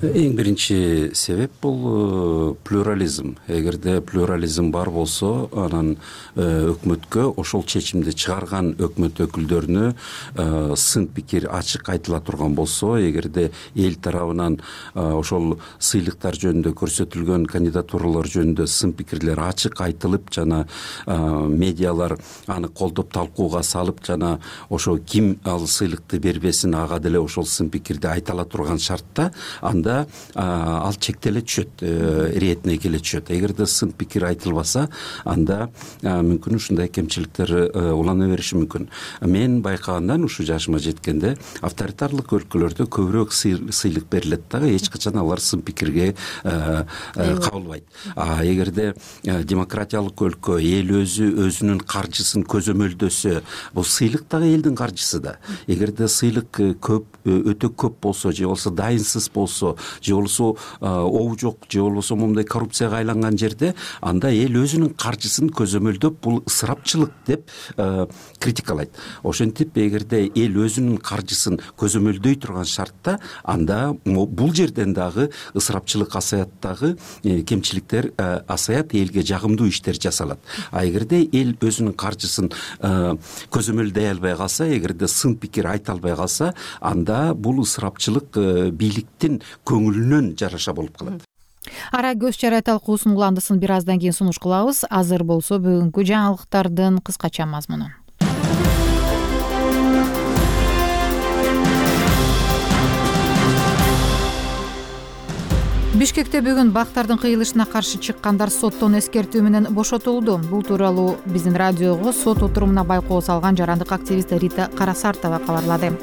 Эң биринчи себеп бул плюрализм. Эгерде плюрализм бар болсо, анан өкмөткө ошол чечимди чыгарган өкмөт өкүлдөрүнө сын пикир ачык айтыла турган болсо, эгерде эл тарабынан ошол сыйлыктар жөнүндө көрсөтүлгөн кандидатуралар жөнүндө сын пикирлер ачык айтылып, жана медиалар аны колдоп талкууга салып, жана ошо ким ал сыйлыкты бербесин ага деле ошол сын пикирди айтала турган шартта, анда ал чектеле түшөт, иретине келе түшөт. Эгерде сын пикир айтылбаса, анда мүмкүн ушундай кемчиликтер улана бериши мүмкүн. Мен байкагандан ушу жашыма жеткенде авторитарлык өлкөлөрдө көбүрөөк сыйлык берилет дагы, эч качан алар сын пикирге кабылбайт. А эгерде демократиялык өлкө, эл өзү өзүнүн каржысын көзөмөлдөсө, бул сыйлык дагы элдин каржысы да. Эгерде сыйлык көп, өтө көп болсо, же болбосо дайынсыз болсо, же болбосо оо жок, же болбосо моундай коррупцияга айланган жерде, анда эл өзүнүн каржысын көзөмөлдөп, бул ысырапчылык деп критикалайт. Ошентип, эгерде эл өзүнүн каржысын көзөмөлдөй турган шартта, анда бул жерден дагы ысырапчылык асаят, дагы кемчиликтер асаят, элге жагымдуу иштер жасалат. А эгерде эл өзүнүн каржысын көзөмөлдөй албай калса, эгерде сын пикир айта албай калса, анда бул ысырапчылык бийликтин көңүлүнөн жараша болуп калат. Ара көз чарай талкуусунун уландысын бир аздан кийин сунуш кылабыз. Азыр болсо бүгүнкү жаңылыктардын кыскача мазмуну. Бишкекте бүгүн бактардын кыйылышына каршы чыккандар соттон эскертүү менен бошотулду. Бул тууралуу биздин радиого сот отурумуна байкоо салган жарандык активист Рита Карасартова кабарлады.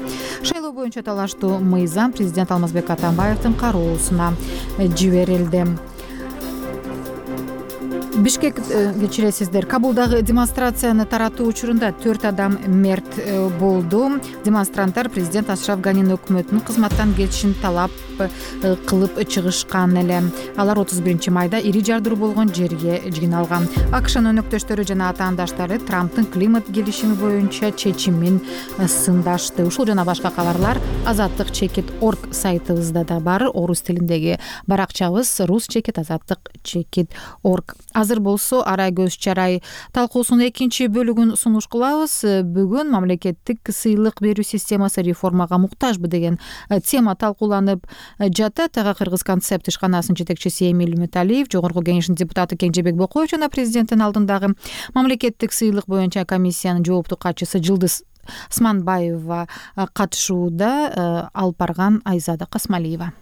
Шайлоо боюнча талаштуу мыйзам президент Алмазбек Атамбаевдин кароосуна жиберилди. Бишкек кечиресиздер, Кабулдагы демонстрацияны таратуу учурунда төрт адам мерт болду. Демонстранттар президент Ашраф Ганинин өкмөтүнүн кызматтан кетишин талап кылып чыгышкан эле. Алар отуз биринчи майда ири жардыруу болгон жерге жыйналган. АКШнын өнөктөштөрү жана атаандаштары Трамптын климат келишими боюнча чечимин сындашты. Ушул жана башка кабарлар азаттык чекит орг сайтыбызда да бар. Орус тилиндеги баракчабыз рус чекит азаттык чекит орг. Азыр болсо ара көз чарай талкуусунун экинчи бөлүгүн сунуш кылабыз. Бүгүн мамлекеттик сыйлык берүү системасы реформага муктажбы деген тема талкууланып жатат. Ага Кыргыз концепт ишканасынын жетекчиси Эмил Металиев, Жогорку кеңештин депутаты Кеңжебек Бокоев жана президенттин алдындагы мамлекеттик сыйлык боюнча комиссиянын жооптуу катчысы Жылдыз Сманбаева катышууда. Алып барган Айзада Касмалиева.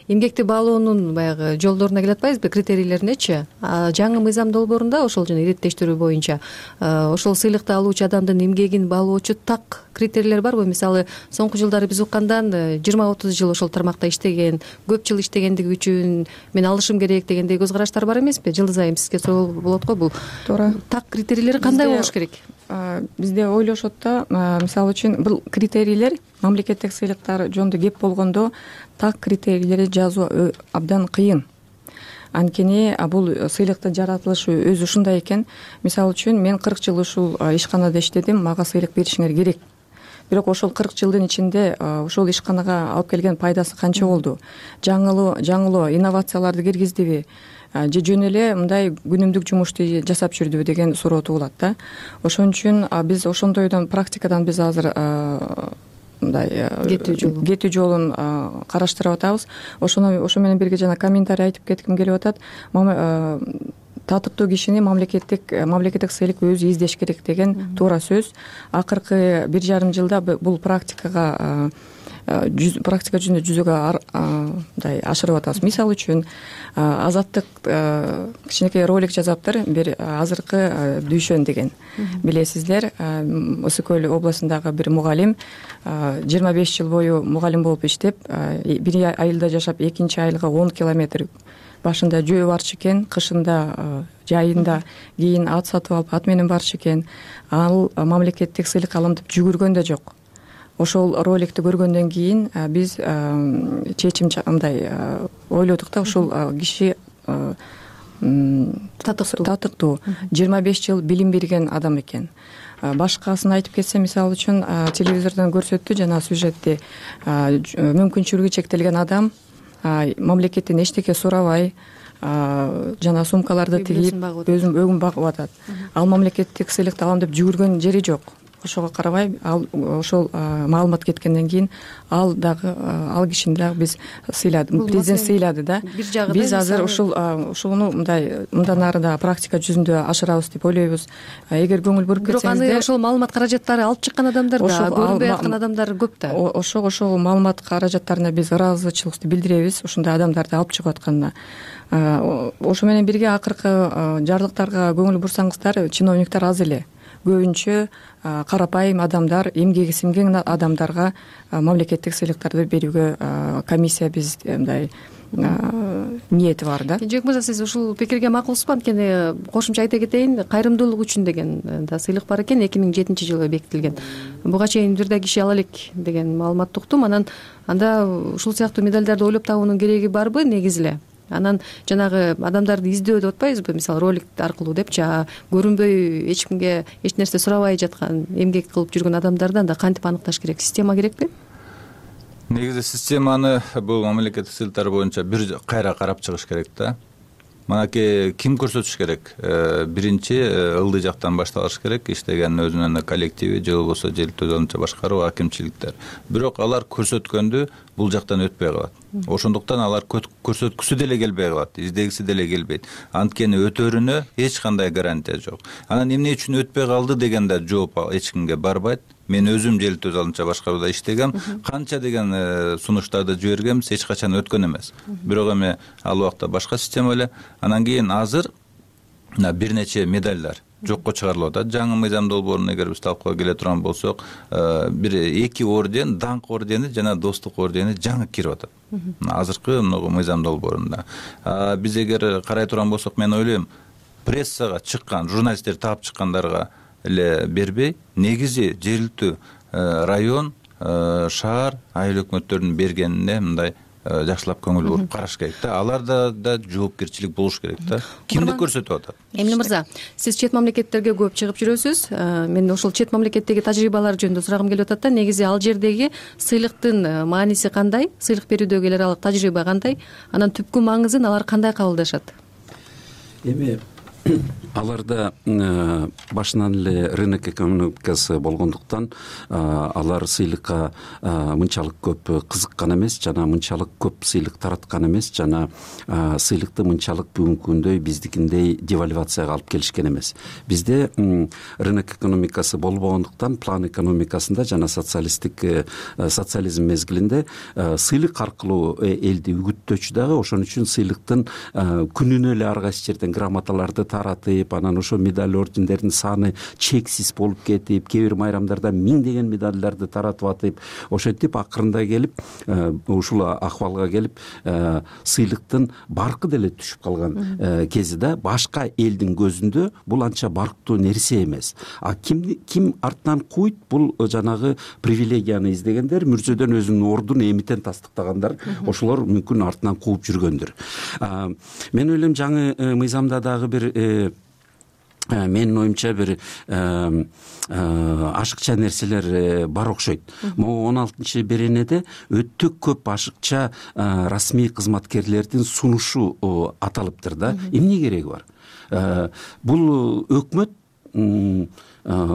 Эмгекти баалоонун баягы жолдоруна келе атпайбызбы, критерийлеринечи? Жаңы мыйзам долбоорунда ошол жана иреттештирүү боюнча ошол сыйлыкты алуучу адамдын эмгегин баалоочу так критерийлер барбы? Мисалы, соңку жылдары биз уккандан жыйырма отуз жыл ошол тармакта иштеген, көп жыл иштегендиги үчүн мен алышым керек дегендей көз караштар бар эмеспи? Жылдыз айым, сизге суроо болот го, бул туура. Так критерийлери кандай болуш керек? бизде ойлошот да, мисалы үчүн бул критерийлер мамлекеттик сыйлыктар жөнүндө кеп болгондо так критерийлерди жазуу абдан кыйын. Анткени бул сыйлыктын жаратылышы өзү ушундай экен. Мисалы үчүн мен кырк жыл ушул ишканада иштедим, мага сыйлык беришиңер керек. Бирок ошол кырк жылдын ичинде ошол ишканага алып келген пайдасы канча болду? Жаңылоо, жаңылоо, инновацияларды киргиздиби? Же жөн эле мындай күнүмдүк жумушту жасап жүрдүбү деген суроо туулат да. Ошон үчүн биз ошондойдон практикадан биз азыр мындай кетүү жолун кетүү жолун караштырып атабыз. Ошону ошо менен бирге жана комментарий айтып кетким келип атат. Татыктуу кишини мамлекеттик мамлекеттик сыйлык өзү издеш керек деген туура сөз. Акыркы бир жарым жылда бул практикага практика жүзүндө жүзөгө мындай ашырып атабыз. Мисалы үчүн Азаттык кичинекей ролик жазаптыр, бир азыркы Дүйшөн деген. Билесиздер, Ысык көл областындагы бир мугалим жыйырма беш жыл бою мугалим болуп иштеп, бир айылда жашап, экинчи айылга он километр башында жөө барчу экен, кышында жайында кийин ат сатып алып ат менен барчу экен. Ал мамлекеттик сыйлык алам деп жүгүргөн да жок. Ошол роликти көргөндөн кийин биз чечим мындай ойлодук да, ушул киши татыктуу татыктуу жыйырма беш жыл билим берген адам экен. Башкасын айтып кетсем, мисалы үчүн телевизордон көрсөттү жана сюжетти, мүмкүнчүлүгү чектелген адам мамлекеттен эчтеке сурабай жана сумкаларды тигип өзүн өгүн багып атат. Ал мамлекеттик сыйлыкты алам деп жүгүргөн жери жок. Ошого карабай, ал ошол маалымат кеткенден кийин ал дагы ал кишини дагы биз сыйладык, президент сыйлады да. Биз азыр ушул ушуну мындай мындан ары да практика жүзүндө ашырабыз деп ойлойбуз. Эгер көңүл буруп кетсеңиздер, бирок аны ошол маалымат каражаттары алып чыккан адамдар да, көрүнбөй аткан адамдар көп да. Ошол ошол маалымат каражаттарына биз ыраазычылыкты билдиребиз, ушундай адамдарды алып чыгып атканына. Ошо менен бирге акыркы жарлыктарга көңүл бурсаңыздар, чиновниктер аз эле. Көбүнчө карапайым адамдар, эмгеги сиңген адамдарга мамлекеттик сыйлыктарды берүүгө комиссия биз мындай ниети бар да. Жек мырза, сиз ушул пикирге макулсузбу? Анткени кошумча айта кетейин, кайрымдуулук үчүн деген да сыйлык бар экен, эки миң жетинчи жылы бекитилген. Буга чейин бир да киши ала элек деген маалыматты уктум. Анан анда ушул сыяктуу медалдарды ойлоп табуунун кереги барбы негизи эле? Анан жанагы адамдарды издөө деп атпайбызбы, мисалы ролик аркылуу депчи, көрүнбөй эч кимге эч нерсе сурабай жаткан, эмгек кылып жүргөн адамдарды анда кантип аныкташ керек? Система керекпи? Негизи системаны бул мамлекеттик сыйлыктар боюнча бир кайра карап чыгыш керек да. Манаки ким көрсөтүш керек? Биринчи ылдый жактан башталыш керек, иштеген өзүнүн коллективи же болбосо желтөө өзүнчө башкаруу акимчиликтер. Бирок алар көрсөткөндү бул жактан өтпөй калат. Ошондуктан алар көрсөткүсү деле келбей калат, издегиси деле келбейт. Анткени өтөрүнө эч кандай гарантия жок. Анан эмне үчүн өтпөй калды дегенде жооп эч кимге барбайт. Мен өзүм желтөө өзүнчө башкарууда иштегем, канча деген сунуштарды жибергенбиз, эч качан өткөн эмес. Бирок эми ал убакта башка система эле. Анан кийин азыр бир нече медалдар жокко чыгарылып атат. Жаңы мыйзам долбоорун эгер биз талкууга келе турган болсок, бир эки орден, даңк ордени жана достук ордени жаңы кирип атат. Азыркы мыйзам долбоорунда. Биз эгер карай турган болсок, мен ойлойм, прессага чыккан, журналисттер таап чыккандарга эле бербей, негизи жергиликтүү район, шаар, айыл өкмөттөрүнүн бергенине мындай жакшылап көңүл буруп караш керек да. Аларда да жоопкерчилик болуш керек да. Кимди көрсөтүп атат? Эмне мырза, сиз чет мамлекеттерге көп чыгып жүрөсүз. Мен ошол чет мамлекеттеги тажрыйбалар жөнүндө сурагым келип атат да. Негизи ал жердеги сыйлыктын мааниси кандай? Сыйлык берүүдөгү эл аралык тажрыйба кандай? Анан түпкү маңызын алар кандай кабылдашат? Эми аларда башынан эле рынок экономикасы болгондуктан алар сыйлыкка мынчалык көп кызыккан эмес, жана мынчалык көп сыйлык тараткан эмес, жана сыйлыкты мынчалык бүгүнкү күндөй биздикиндей девальвацияга алып келишкен эмес. Бизде рынок экономикасы болбогондуктан план экономикасында жана социалисттик социализм мезгилинде сыйлык аркылуу элди үгүттөөчү дагы, ошон үчүн сыйлыктын күнүнө эле ар кайсы жерден грамоталарды таратып, анан ошо медаль ордендердин саны чексиз болуп кетип, кээ бир майрамдарда миңдеген медалдарды таратып атып, ошентип акырында келип ушул акыбалга келип сыйлыктын баркы деле түшүп калган кези да. Башка элдин көзүндө бул анча барктуу нерсе эмес. А ким ким артынан куйт, бул жанагы привилегияны издегендер, мүрзөдөн өзүнүн ордун эмитен тастыктагандар, ошолор мүмкүн артынан кууп жүргөндүр. Мен ойлойм жаңы мыйзамда дагы бир менин оюмча бир ашыкча нерселер бар окшойт. Могу он алтынчы беренеде өтө көп ашыкча расмий кызматкерлердин сунушу аталыптыр да. Эмне кереги бар? Бул өкмөт,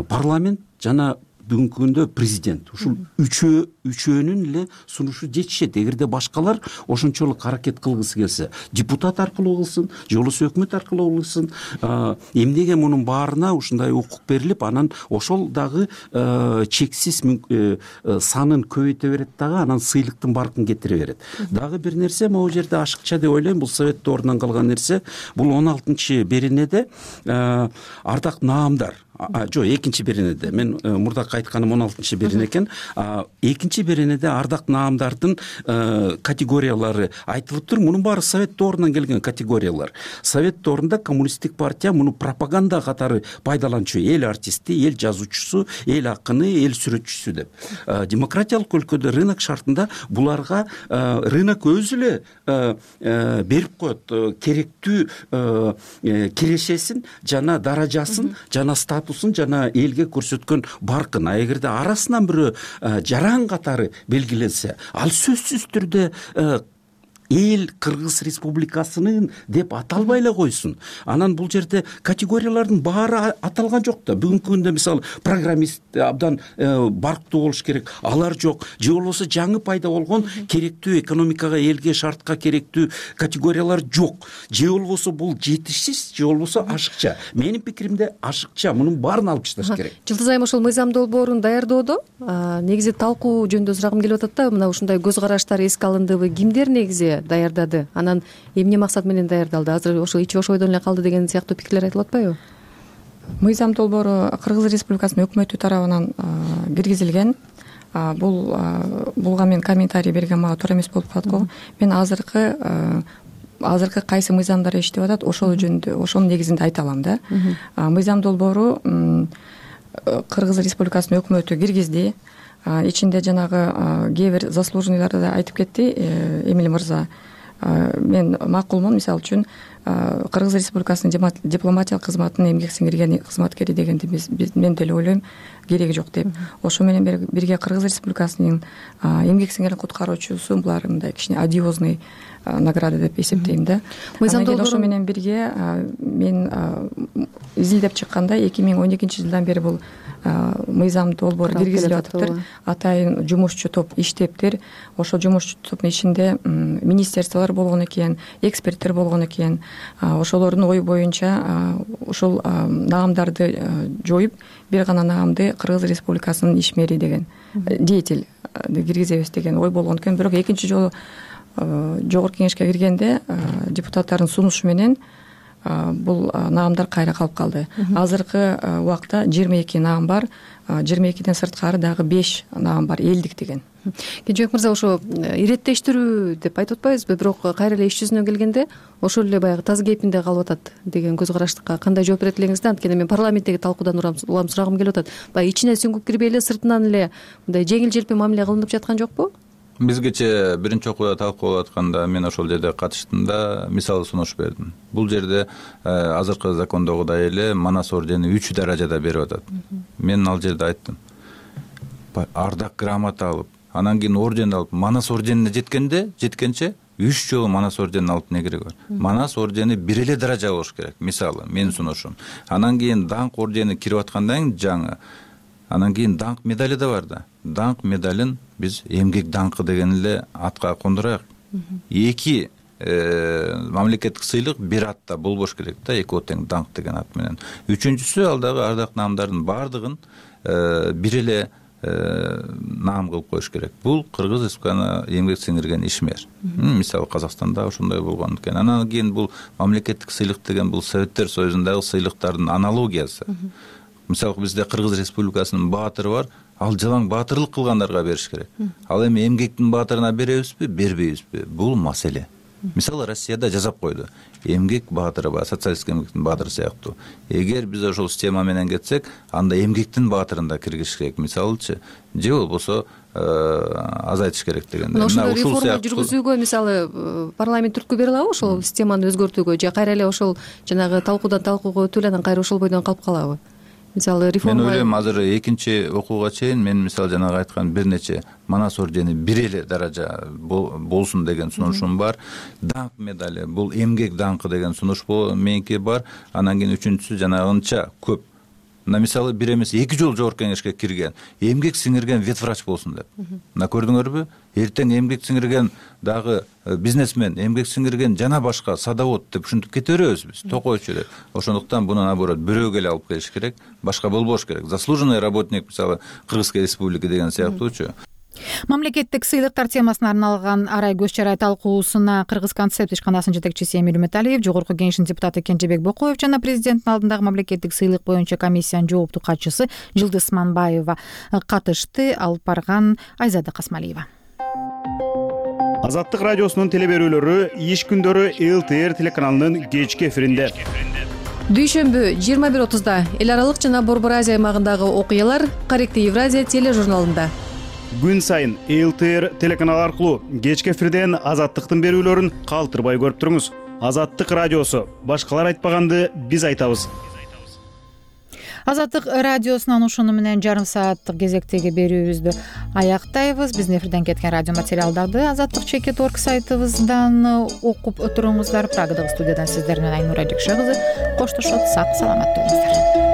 парламент жана бүгүнкү күндө президент, ушул үчөө үчөөнүн эле сунушу жетишет. Эгерде башкалар ошончолук аракет кылгысы келсе, депутат аркылуу кылсын, же болбосо өкмөт аркылуу кылсын, эмнеге мунун баарына ушундай укук берилип, анан ошол дагы чексиз санын көбөйтө берет дагы, анан сыйлыктын баркын кетире берет. Дагы бир нерсе, могу жерде ашыкча деп ойлойм, бул совет доорунан калган нерсе. Бул он алтынчы беренеде ардак наамдар, жок, экинчи беренеде, мен мурдакы айтканым он алтынчы берене экен. Экинчи беренеде ардак наамдардын категориялары айтылыптыр. Мунун баары совет доорунан келген категориялар. Совет доорунда коммунисттик партия муну пропаганда катары пайдаланчу. Эл артисти, эл жазуучусу, эл акыны, эл сүрөтчүсү деп. Демократиялык өлкөдө рынок шартында буларга рынок өзү эле берип коет керектүү кирешесин, жана даражасын, жана статусун, жана элге көрсөткөн баркын. А эгерде арасынан бирөө жаран катары белгиленсе, ал сөзсүз түрдө эл Кыргыз Республикасынын деп аталбай эле койсун. Анан бул жерде категориялардын баары аталган жок да. Бүгүнкү күндө мисалы программист абдан барктуу болуш керек, алар жок. Же болбосо жаңы пайда болгон керектүү экономикага, элге, шартка керектүү категориялар жок. Же болбосо бул жетишсиз, же болбосо ашыкча. Менин пикиримде ашыкча. Мунун баарын алып ташташ керек. Жылдыз айым ошол мыйзам долбоорун даярдоодо негизи талкуу жөнүндө сурагым келип атат да. Мына ушундай көз караштар эске алындыбы? Кимдер негизи даярдады? Анан эмне максат менен даярдалды? Азыр ошо ичи бош ойдон эле калды деген сыяктуу пикирлер айтылып атпайбы? Мыйзам долбоору Кыргыз Республикасынын өкмөтү тарабынан киргизилген. Бул булга мен комментарий берген мага туура эмес болуп калат го. Мен азыркы азыркы кайсы мыйзамдар иштеп атат, ошол жөнүндө, ошонун негизинде айта алам да. Мыйзам долбоору Кыргыз Республикасынын өкмөтү киргизди. Ичинде жанагы кээ бир заслуженныйларды да айтып кетти Эмиль мырза. Мен макулмун, мисалы үчүн Кыргыз Республикасынын дипломатиялык кызматынын эмгек сиңирген кызматкери дегенди мен деле ойлойм кереги жок деп. Ошо менен бирге Кыргыз Республикасынын эмгек сиңирген куткаруучусу, булар мындай кичине одиозный награда деп эсептейм да. Ошо менен бирге мен изилдеп чыкканда эки миң он экинчи жылдан бери бул мыйзам долбоору киргизилип атыптыр. Атайын жумушчу топ иштептир. Ошол жумушчу топтун ичинде министерстволор болгон экен, эксперттер болгон экен. Ошолордун ою боюнча ушул наамдарды жоюп, бир гана наамды Кыргыз Республикасынын ишмери деген деятель киргизебиз деген ой болгон экен. Бирок экинчи жолу жогорку кеңешке киргенде депутаттардын сунушу менен бул наамдар кайра калып калды. Азыркы убакта жыйырма эки наам бар. жыйырма экиден сырткары дагы беш наам бар, элдик деген. Кенжебек мырза, ошо иреттештирүү деп айтып атпайбызбы? Бирок кайра эле иш жүзүнө келгенде ошол эле баягы таз кейпинде калып атат деген көз караштыкка кандай жооп берет элеңиз да? Анткени мен парламенттеги талкуудан улам сурагым келип атат. Баягы ичине сүңгүп кирбей эле сыртынан эле мындай жеңил желпи мамиле кылынып жаткан жокпу? Бизгече биринчи окууда талкуулап атканда мен ошол жерде катыштым да, мисал сунуш бердим. Бул жерде азыркы закондогудай эле Манас ордени үч даражада берип атат. Мен ал жерде айттым, ардак грамота алып, анан кийин орден алып, Манас орденине жеткенде, жеткенче үч жолу Манас орденин алып не кереги бар? Манас ордени бир эле даража болуш керек, мисалы, менин сунушум. Анан кийин даңк ордени кирип аткандан кийин жаңы, анан кийин даңк медали да бар да. Даңк медалин биз эмгек даңкы деген эле атка кондурайык. Эки мамлекеттик сыйлык бир атта болбош керек да, эки тең даңк деген ат менен. Үчүнчүсү, ал дагы ардак наамдардын баардыгын бир эле наам кылып коюш керек. Бул Кыргыз Республикасына эмгек сиңирген ишмер. Мисалы Казакстанда ошондой болгон экен. Анан кийин бул мамлекеттик сыйлык деген бул Советтер Союзундагы сыйлыктардын аналогиясы. Мисалы бизде Кыргыз Республикасынын баатыры бар, ал жалаң баатырлык кылгандарга бериш керек. Ал эми эмгектин баатырына беребизби, бербейбизби? Бул маселе. Мисалы Россияда жазап койду. Эмгек баатыры бар, социалисттик эмгектин баатыры сыяктуу. Эгер биз ошол система менен кетсек, анда эмгектин баатырын да киргизиш керек, мисалычы, же болбосо азайтыш керек дегенде. Ошол реформа жүргүзүүгө мисалы парламент түрткү бере алабы ошол системаны өзгөртүүгө, же кайра эле ошол жанагы талкуудан талкууга өтүп эле анан кайра ошол бойдон калып калабы? Мисалы реформа. Мен ойлойм азыр экинчи окууга чейин мен мисалы жанагы айткан бир нече манас ордени бир эле даража болсун деген сунушум бар. Даңк медали, бул эмгек даңкы деген сунуш меники бар. Анан кийин үчүнчүсү жанагынча көп. Мына мисалы бир эмес эки жолу жогорку кеңешке кирген, эмгек сиңирген ветврач болсун деп. Мына көрдүңөрбү? Эртең эмгек сиңирген дагы бизнесмен, эмгек сиңирген жана башка садовод деп ушинтип кете беребиз биз, токойчу эле. Ошондуктан буну наоборот бирөөгө эле алып келиш керек, башка болбош керек. Заслуженный работник мисалы Кыргызской республики деген сыяктуучу. Мамлекеттик сыйлыктар темасына арналган арай көз чарай талкуусуна Кыргыз концепт ишканасынын жетекчиси Эмил Үмүталиев, жогорку кеңештин депутаты Кенжебек Бокоев жана президенттин алдындагы мамлекеттик сыйлык боюнча комиссиянын жооптуу катчысы Жылдыз Манбаева катышты. Алып барган Айзада Касмалиева. Азаттык радиосунун телеберүүлөрү иш күндөрү эл тэ эр телеканалынын кечки эфиринде. Дүйшөмбү жыйырма бир отузда эл аралык жана Борбор Азия аймагындагы окуялар Каректи Евразия тележурналында. Күн сайын эл тэ эр телеканалы аркылуу кечки эфирден Азаттыктын берүүлөрүн калтырбай көрүп туруңуз. Азаттык радиосу, башкалар айтпаганды биз айтабыз. Азаттык радиосунан ушуну менен жарым сааттык кезектеги берүүбүздү аяктайбыз. Биздин эфирден кеткен радио материалдарды азаттык чекит точка орг сайтыбыздан окуп отуруңуздар. Прагадагы студиядан сиздер менен Айнура Жекше кызы коштошот. Сак саламат болуңуздар.